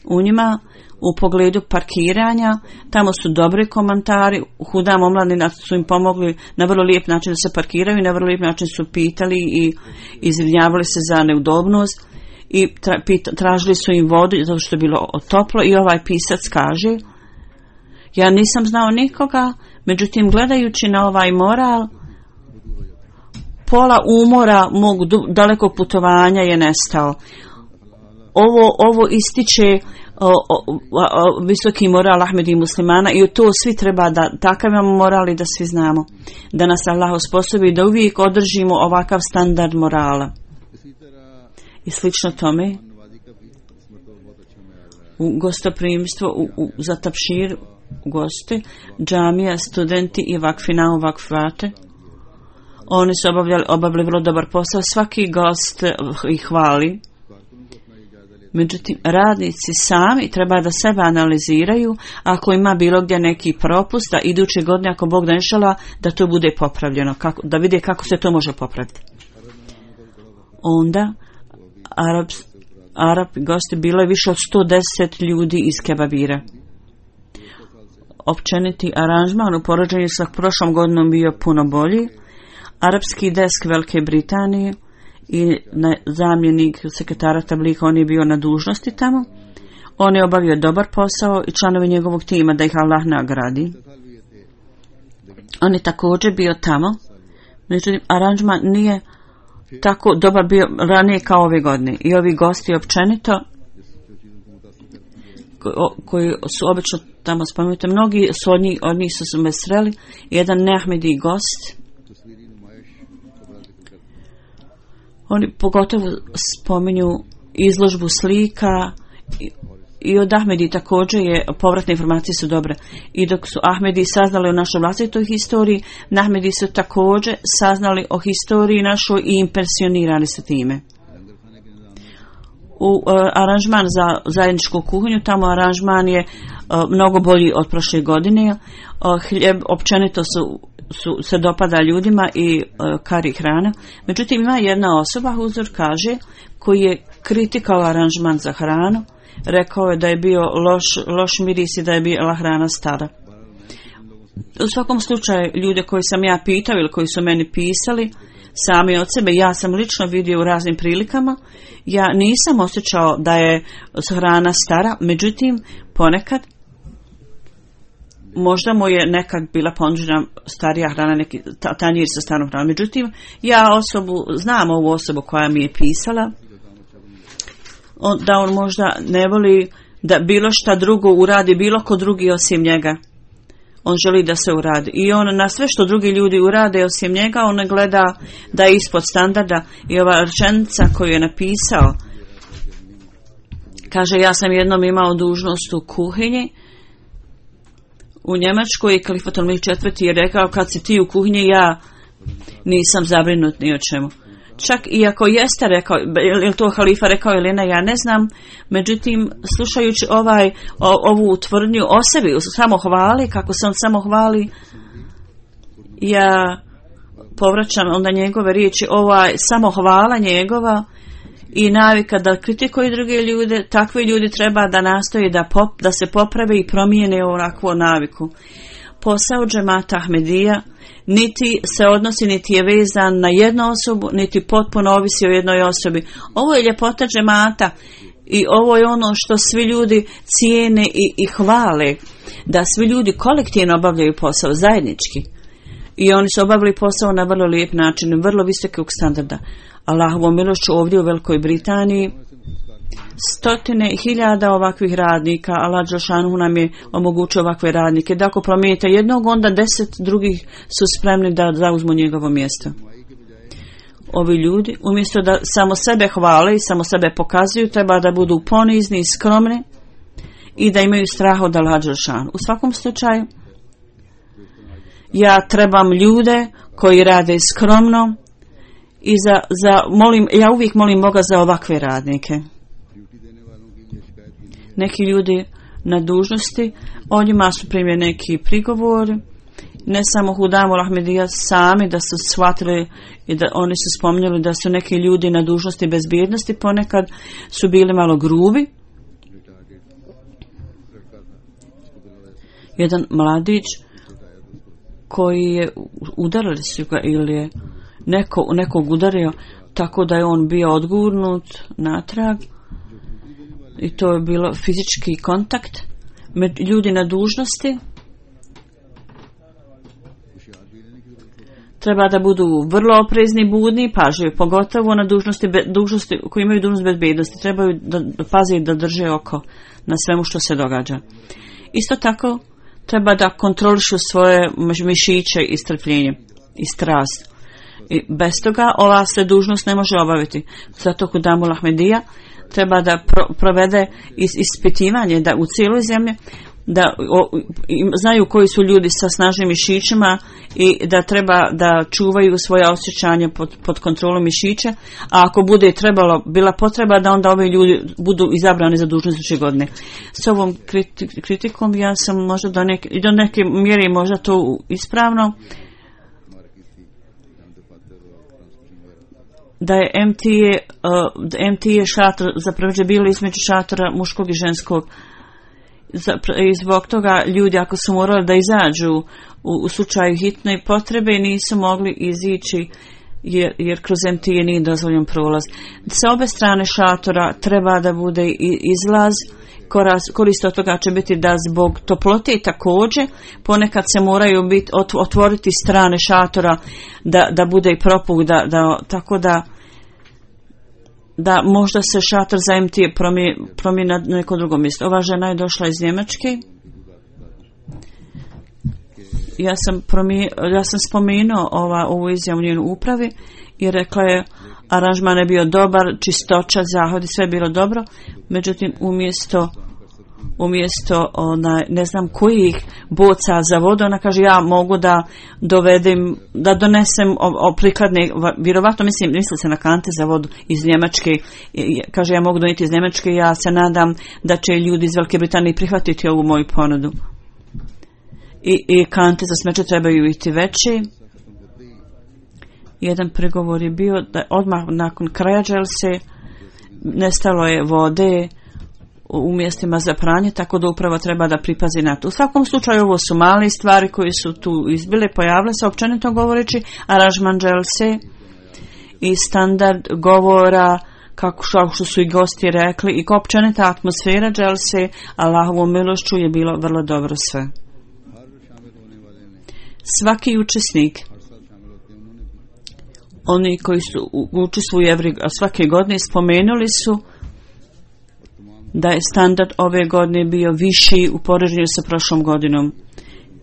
u njima u pogledu parkiranja, tamo su dobri komentari, Hudam omladina su im pomogli na vrlo lijep način da se parkiraju i na vrlo lijep način su pitali i izvinjavali se za neudobnost i tra, pita, tražili su im vodu zato što je bilo toplo i ovaj pisac kaže, ja nisam znao nikoga, međutim gledajući na ovaj moral, pola umora mog dalekog putovanja je nestao. Ovo, ovo ističe O, o, o, visoki moral Ahmedi muslimana i to svi treba da takav imamo moral i da svi znamo da nas Allah osposobi da uvijek održimo ovakav standard morala. I slično tome u gostoprimstvo u, u, za tapšir gosti, džamija, studenti i vakfina u vakfate, oni su obavljali, obavljali vrlo dobar posao, svaki gost ih hvali. Međutim, radnici sami treba da sebe analiziraju, ako ima bilo gdje neki propust, da iduće godine, ako Bog da inšala, da to bude popravljeno, kako, da vide kako se to može popraviti. Onda, Arab, Arab gosti bilo je više od sto deset ljudi iz Kebabira. Općeniti aranžman u poređenju sa prošlom godinom bio puno bolji. Arapski desk Velike Britanije i zamjenik sekretara tablika, on je bio na dužnosti tamo. On je obavio dobar posao i članovi njegovog tima da ih Allah nagradi. On je također bio tamo. Međutim, aranžman nije tako dobar bio ranije kao ove godine. I ovi gosti općenito koji su obično tamo spomenuti, mnogi su od njih, od njih su se mesreli. Jedan neahmedi gost, oni pogotovo spominju izložbu slika i, i od Ahmedi također je, povratne informacije su dobre. I dok su Ahmedi saznali o našoj vlastitoj historiji, Ahmedi su također saznali o historiji našoj i impresionirani su time. U uh, aranžman za zajedničku kuhinju, tamo aranžman je uh, mnogo bolji od prošle godine. Uh, hljeb općenito su su se dopada ljudima i uh, kari hrana. Međutim, ima jedna osoba, Huzur kaže, koji je kritikao aranžman za hranu, rekao je da je bio loš, loš miris i da je bila hrana stara. U svakom slučaju, ljude koji sam ja pitao ili koji su meni pisali, sami od sebe, ja sam lično vidio u raznim prilikama, ja nisam osjećao da je hrana stara, međutim, ponekad možda mu je nekad bila ponuđena starija hrana, neki tanjir sa starom hranom. Međutim, ja osobu, znam ovu osobu koja mi je pisala, on, da on možda ne voli da bilo šta drugo uradi, bilo ko drugi osim njega. On želi da se uradi. I on na sve što drugi ljudi urade osim njega, on ne gleda da je ispod standarda. I ova rečenica koju je napisao, kaže, ja sam jednom imao dužnost u kuhinji u Njemačkoj i Kalifat Al-Mih četvrti je rekao, kad si ti u kuhinji, ja nisam zabrinut ni o čemu. Čak i ako jeste rekao, je li to halifa rekao ili ne, ja ne znam, međutim, slušajući ovaj, o, ovu tvrdnju o sebi, samo hvali, kako se on samo hvali, ja povraćam onda njegove riječi, ovaj samo hvala njegova i navika da kritikuju druge ljude, takvi ljudi treba da nastoji da, pop, da se poprave i promijene ovakvu naviku. Posao džemata Ahmedija niti se odnosi, niti je vezan na jednu osobu, niti potpuno ovisi o jednoj osobi. Ovo je ljepota džemata i ovo je ono što svi ljudi cijene i, i hvale, da svi ljudi kolektivno obavljaju posao zajednički. I oni su obavili posao na vrlo lijep način, vrlo visokog standarda. Allahovom milošću ovdje u Velikoj Britaniji stotine hiljada ovakvih radnika, Allah dželešanu nam je omogućio ovakve radnike, da ako promijenite jednog, onda deset drugih su spremni da zauzmu njegovo mjesto. Ovi ljudi, umjesto da samo sebe hvale i samo sebe pokazuju, treba da budu ponizni i skromni i da imaju strah od Allah dželešanu. U svakom slučaju, ja trebam ljude koji rade skromno i za, za molim, ja uvijek molim Boga za ovakve radnike. Neki ljudi na dužnosti, o njima su primjer neki prigovori, ne samo Hudamul Ahmedija sami da su shvatili i da oni su spominjali da su neki ljudi na dužnosti bezbjednosti ponekad su bili malo grubi. Jedan mladić koji je udarili su ga ili je neko, nekog udario tako da je on bio odgurnut natrag i to je bilo fizički kontakt. Ljudi na dužnosti treba da budu vrlo oprezni, budni, pažljivi, pogotovo na dužnosti, dužnosti koji imaju dužnost bezbednosti. Trebaju da, da pazi da drže oko na svemu što se događa. Isto tako treba da kontrolišu svoje mišiće i strpljenje i strast. I bez toga ova se dužnost ne može obaviti. Zato Hudamul Ahmedija treba da pro, provede is, ispitivanje da u cijeloj zemlji da o, znaju koji su ljudi sa snažnim mišićima i da treba da čuvaju svoje osjećanje pod, pod kontrolom mišića, a ako bude trebalo, bila potreba da onda ovi ljudi budu izabrani za dužnost iduće godine. S ovom kriti, kritikom ja sam možda do neke, do neke mjere možda to ispravno, da je M T A, uh, M T A šator zapravo je bilo između šatora muškog i ženskog. I zbog toga ljudi ako su morali da izađu u, u slučaju hitne potrebe nisu mogli izići jer, jer kroz M T A nije dozvoljen prolaz. Sa obe strane šatora treba da bude i izlaz. Korist od toga će biti da zbog toplote također ponekad se moraju biti, otvoriti strane šatora da, da bude i propuk da, da, tako da da možda se šator za M T A promijeni, promijeni na neko drugo mjesto. Ova žena je došla iz Njemačke. Ja sam, promije, ja sam spomenuo ova, ovu izjavu u njenoj upravi i rekla je aranžman je bio dobar, čistoća, zahodi, sve je bilo dobro. Međutim, umjesto umjesto ona, ne znam kojih boca za vodu, ona kaže ja mogu da dovedem, da donesem o, o prikladne, vjerovatno mislim, misli se na kante za vodu iz Njemačke, kaže ja mogu donijeti iz Njemačke, ja se nadam da će ljudi iz Velike Britanije prihvatiti ovu moju ponudu. I, i kante za smeće trebaju biti veće. Jedan pregovor je bio da odmah nakon kraja dželse nestalo je vode u mjestima za pranje, tako da upravo treba da pripazi na to. U svakom slučaju ovo su male stvari koje su tu izbile, pojavile se općenito govoreći, aranžman dželse i standard govora, kako što su i gosti rekli, i općenita atmosfera dželse, Allahovom milošću je bilo vrlo dobro sve. Svaki učesnik, oni koji su učestvuju svake godine, spomenuli su da je standard ove godine bio viši u poređenju sa prošlom godinom.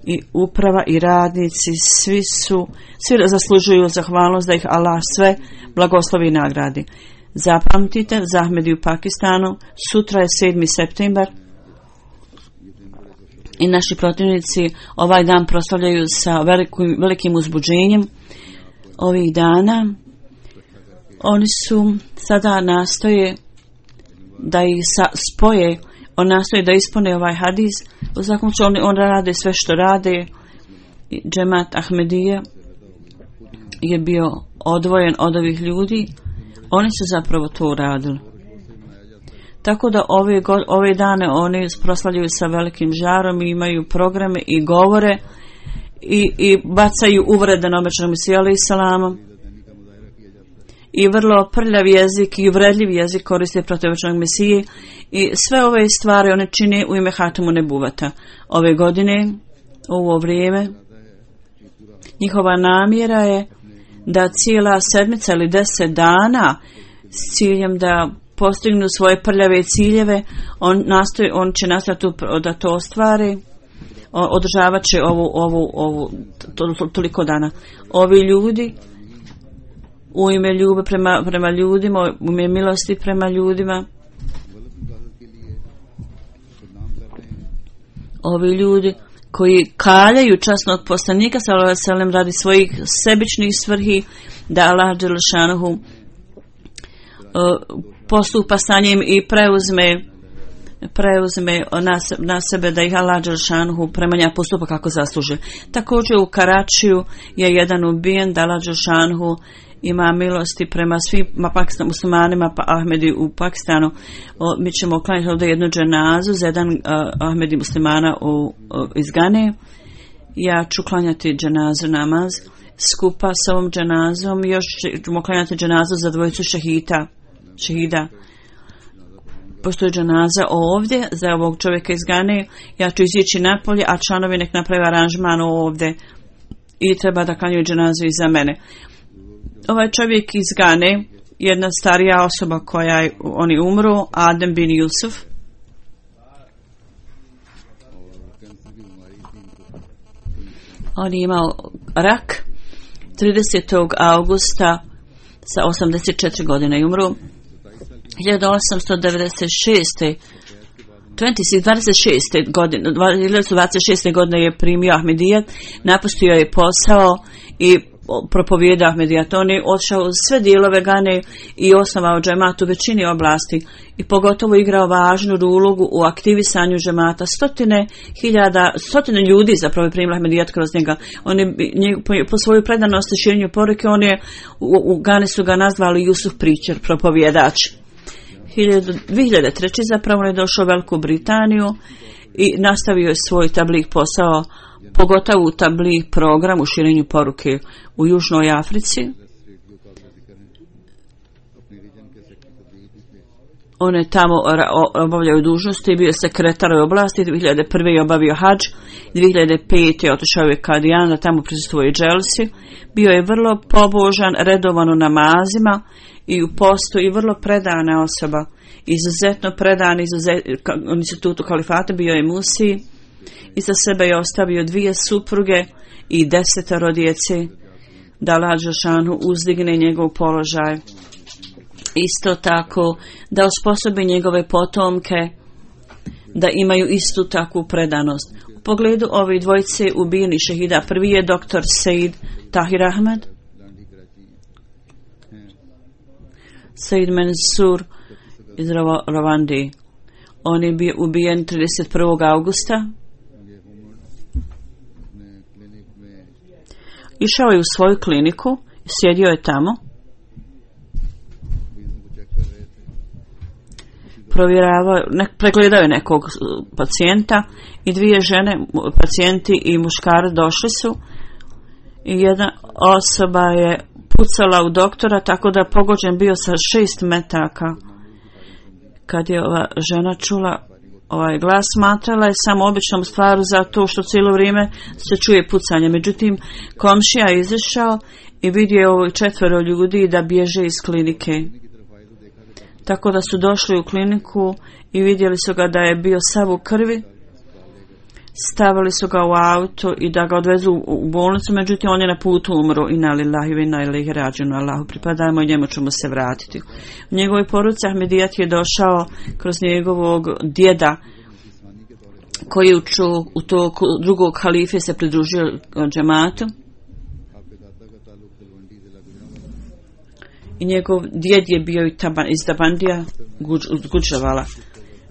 I uprava i radnici, svi su, svi zaslužuju zahvalnost da ih Allah sve blagoslovi i nagradi. Zapamtite, za Ahmedi u Pakistanu, sutra je sedmi septembar i naši protivnici ovaj dan proslavljaju sa velikim, velikim uzbuđenjem ovih dana. Oni su sada nastoje da ih sa, spoje, on nastoje da ispune ovaj hadis. U svakom slučaju on, on rade sve što rade. Džemat Ahmedija je bio odvojen od ovih ljudi. Oni su zapravo to uradili. Tako da ove, go, ove dane oni proslavljaju sa velikim žarom i imaju programe i govore i, i bacaju uvrede na običnog Mesiju alejhi selama. I vrlo prljav jezik i uvredljiv jezik koriste protiv običnog Mesije i sve ove stvari one čine u ime Hatamu Nebuvata. Ove godine, u ovo vrijeme, njihova namjera je da cijela sedmica ili deset dana s ciljem da postignu svoje prljave ciljeve, on, nastoji, on će nastojati da to ostvari, održavat će ovu, ovu, ovu to, to, toliko dana. Ovi ljudi u ime ljubavi prema, prema ljudima, u ime milosti prema ljudima, ovi ljudi koji kaljaju časnog poslanika sallallahu alejhi ve sellem radi svojih sebičnih svrhi, da Allah dželešanuhu uh, postupa sa njim i preuzme preuzme na, na sebe da ih Allah dželešanuhu prema njima postupa kako zasluže. Također u Karačiju je jedan ubijen, da Allah dželešanuhu ima milosti prema svim Pakistan, muslimanima, pa Ahmedi u Pakistanu. O, mi ćemo klanjati ovdje jednu dženazu za jedan uh, Ahmedi muslimana u, uh, iz Gane. Ja ću klanjati dženazu namaz skupa s ovom dženazom. Još ćemo klanjati dženazu za dvojicu šehita, šehida. Postoji dženaza ovdje za ovog čovjeka iz Gane. Ja ću izići napolje, a članovi nek napravi aranžman ovdje i treba da klanjaju dženazu i za mene. Ovaj čovjek iz Gane, jedna starija osoba koja je, oni umru, Adem bin Jusuf. On je imao rak tridesetog augusta sa osamdeset četiri godine i umru. hiljadu osamsto devedeset šeste. dvadeset šeste godine, dvadeset šeste godine je primio Ahmedijat, napustio je posao i propovijedao Ahmedijat. On je odšao u sve dijelove Gane i osnovao džemat u većini oblasti i pogotovo igrao važnu ulogu u aktivisanju džemata. Stotine hiljada, stotine ljudi zapravo je primila Ahmedijat kroz njega. On je po, po svoju predanosti širenju poruke, on je u, u Gane su ga nazvali Jusuf Pričer, propovjedač. dvije hiljade treće zapravo je došao u Veliku Britaniju i nastavio je svoj tablik posao, pogotovo u tablik program u širenju poruke u Južnoj Africi. On je tamo obavljao dužnosti, bio je sekretar u oblasti, dvije hiljade prve je obavio hadž, dvije hiljade pete je otišao je Kadijan, tamo prisustvuje dželsi. Bio je vrlo pobožan, redovan u namazima i u postu i vrlo predana osoba. Izuzetno predan, izuzet, institutu kalifata, bio je musi. Iza sebe je ostavio dvije supruge i desetero djece, da Allah dželešanu uzdigne njegov položaj. Isto tako da osposobi njegove potomke da imaju istu takvu predanost. U pogledu ove dvojice ubijeni šehida, prvi je doktor Said Tahir Ahmed, Said Mansur iz Ravandi. On je bio ubijen trideset prvog augusta. Išao je u svoju kliniku, sjedio je tamo, provjeravao, ne, pregledao je nekog pacijenta i dvije žene, pacijenti i muškarac došli su i jedna osoba je pucala u doktora tako da pogođen bio sa šest metaka. Kad je ova žena čula ovaj glas, smatrala je samo običnom stvaru za to što cijelo vrijeme se čuje pucanje. Međutim, komšija je izašao i vidio ovo četvero ljudi da bježe iz klinike. Tako da su došli u kliniku i vidjeli su ga da je bio sav u krvi. Stavili su ga u auto i da ga odvezu u bolnicu, međutim on je na putu umro. Inna lillahi wa inna ilaihi rađiun, Allahu pripadajmo i njemu ćemo se vratiti. U njegovoj poruci Ahmedijat je došao kroz njegovog djeda koji je u to drugog halife se pridružio džematu. I njegov djed je bio iz Tabandija, Guđavala.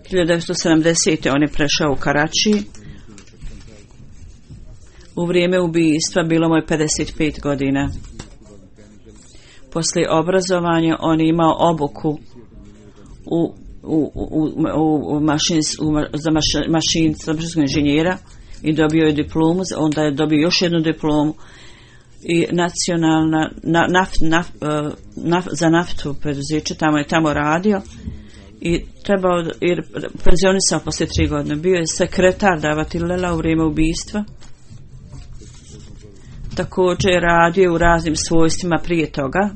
hiljadu devetsto sedamdesete on je prešao u Karači. U vrijeme ubijstva bilo mu je pedeset pet godina. Poslije obrazovanja on je imao obuku u, u, u, u, u mašins, u, za maš, mašinstvo inženjera i dobio je diplomu, onda je dobio još jednu diplomu i nacionalna na, naft, naf, naf, za naftu preduzeće, tamo je tamo radio i trebao, jer penzionisao poslije tri godine. Bio je sekretar davatilela u vrijeme ubistva. Također je radio u raznim svojstvima prije toga.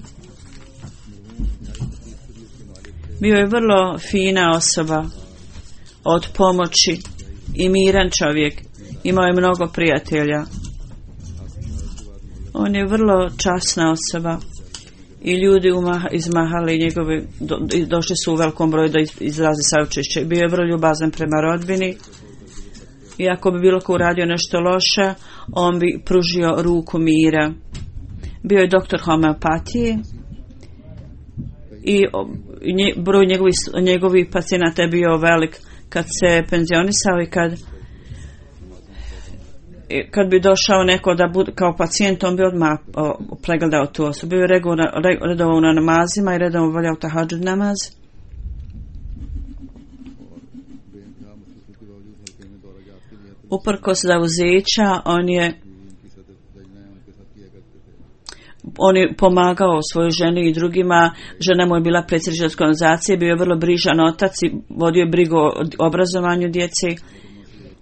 Bio je vrlo fina osoba, od pomoći i miran čovjek. Imao je mnogo prijatelja. On je vrlo časna osoba i ljudi umaha, izmahali njegove, do, došli su u velikom broju da izrazi saučešće. Bio je vrlo ljubazan prema rodbini i ako bi bilo ko uradio nešto loše, on bi pružio ruku mira. Bio je doktor homeopatije i nje, broj njegovih, njegovih pacijenata je bio velik. Kad se penzionisao i kad kad bi došao neko da bude kao pacijent, on bi odmah o, pregledao tu osobu. Bio je redovao na namazima i redovao valjao tahadžud namaz. Uprkos zauzeća, on je on je pomagao svojoj ženi i drugima. Žena mu je bila predsjednica organizacije, bio je vrlo brižan otac i vodio je brigu o obrazovanju djece.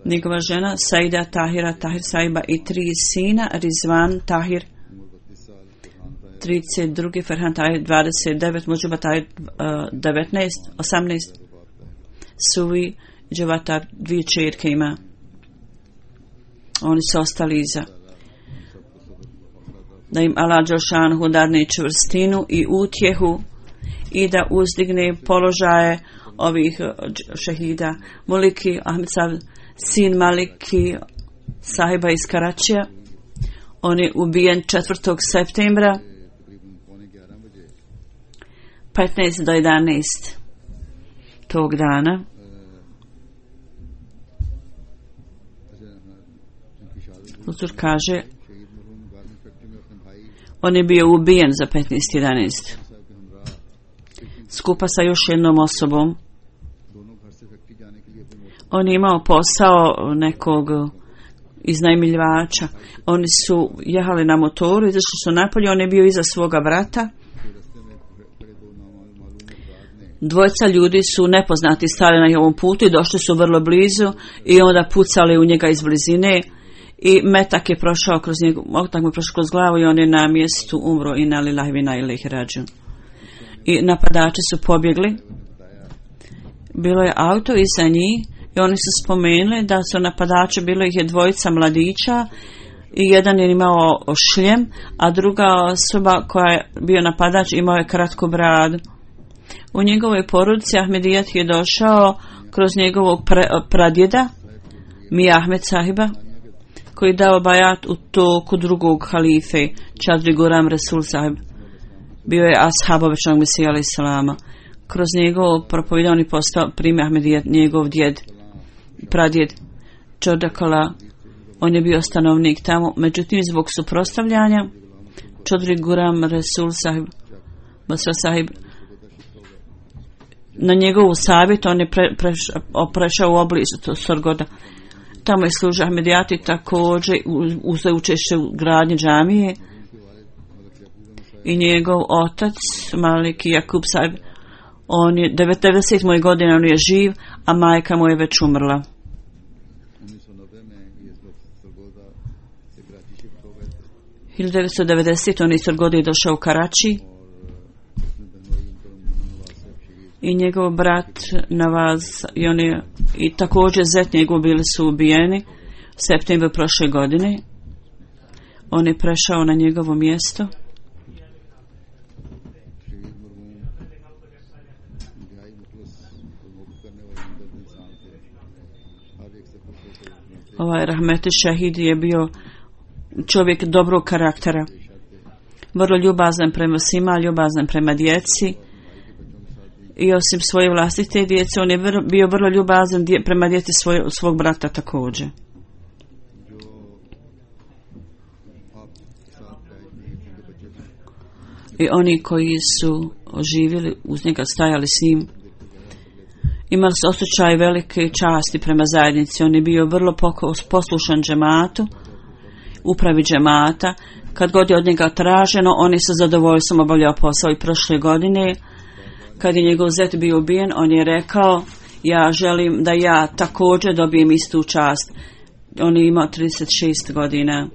Njegova žena Saida Tahira Tahir Saiba i tri sina, Rizvan Tahir trideset dva, Ferhan Tahir dvadeset devet, Muđuba Tahir devetnaest, osamnaest, Suvi Džavatar dvije čerke ima. Oni su ostali iza. Da im Allah Đelšanhu dadne čvrstinu i utjehu i da uzdigne položaje ovih šehida. Muliki Ahmed Sav, sin Maliki sahiba iz Karačija. On je ubijen četvrtog septembra petnaest do jedanaest tog dana. Huzur kaže, on je bio ubijen za petnaest jedanaest skupa sa još jednom osobom. On je imao posao nekog iznajmljivača. Oni su jehali na motoru, izašli su napolje, on je bio iza svoga brata. Dvojica ljudi su nepoznati stali na ovom putu i došli su vrlo blizu i onda pucali u njega iz blizine i metak je prošao kroz njegov, metak mu je prošao kroz glavu i on je na mjestu umro i na lillahi wa inna ilaihi rađun. I napadači su pobjegli. Bilo je auto iza njih i oni su spomenuli da su napadači, bilo ih je dvojica mladića i jedan je imao šljem, a druga osoba koja je bio napadač imao je kratku bradu. U njegovoj porodici Ahmedijat je došao kroz njegovog pre, pradjeda Mija Ahmed sahiba, koji je dao bajat u toku drugog halife Čadri Guram Resul sahib. Bio je ashab obećanog Mesija alejhi selama. Kroz njegov propovidan je postao prime Ahmedijat, njegov djed, pradjed Čodakala. On je bio stanovnik tamo, međutim zbog suprotstavljanja Čadri Guram Resul sahib, Basra sahib, na njegovu savjet on je pre, pre, prešao u oblizu Sorgoda. Tamo je služio Ahmedijati, također uzeo učešće u gradnji džamije i njegov otac Maliki Jakub sahib, on je devedeset godina, on je živ, a majka mu je već umrla. hiljadu devetsto devedesete on iz Sorgode je došao u Karači i njegov brat Navaz i, on je, i također zet njegov bili su ubijeni u septembru prošle godine. On je prešao na njegovo mjesto. Ovaj Rahmeti Šehid je bio čovjek dobrog karaktera, vrlo ljubazan prema svima, ljubazan prema djeci. I osim svoje vlastite djece, on je bio vrlo ljubazan dje, prema djeci svoj, svog brata također. i oni koji su živjeli uz njega, stajali s njim, imali su osjećaj velike časti prema zajednici. On je bio vrlo poslušan džematu, upravi džemata. Kad god je od njega traženo, on je sa zadovoljstvom obavljao posao. I prošle godine, kad je njegov zet bio ubijen, on je rekao: ja želim da ja također dobijem istu čast. On je imao trideset šest godina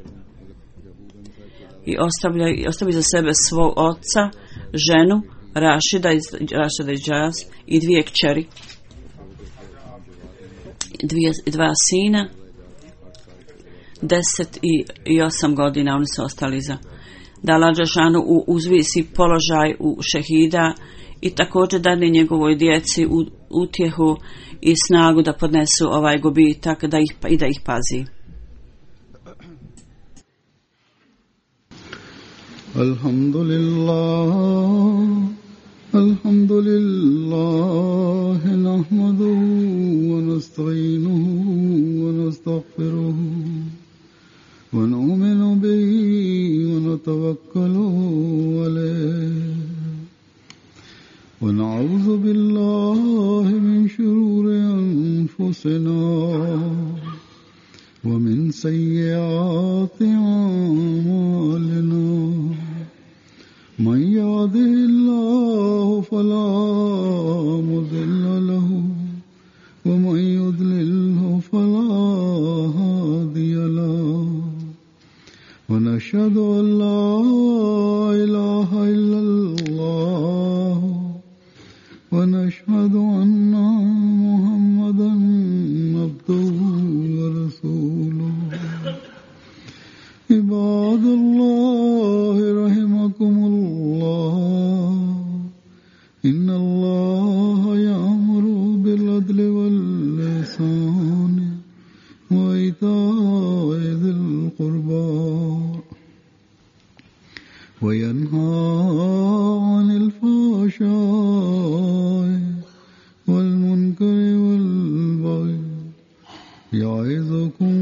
i ostavlja, ostavi za sebe svog oca, ženu Rašida iz Rašida iz Džaz i dvije kćeri, dvije, dva sina, deset i, i osam godina. Oni su ostali za da Allah dželešanu uzvisi položaj u šehida i također dadne njegovoj djeci u, utjehu i snagu da podnesu ovaj gubitak da ih, i da ih pazi. Alhamdulillah, alhamdulillah, nahmaduhu wa nasta'inuhu wa nastaghfiruhu wa nu'minu bihi wa natawakkalu alayhi wa na'udhu billahi min shururi anfusina wa min sayyiati a'malina. من يهده الله فلا مضل له ومن يضلله فلا هادي له ونشهد أن لا إله إلا الله ونشهد أن محمدا عبده ورسوله. عباد الله رحمكم الله إن الله يأمر بالعدل والإحسان وإيتاء ذي القربى وينهى عن الفحشاء والمنكر والبغي يعظكم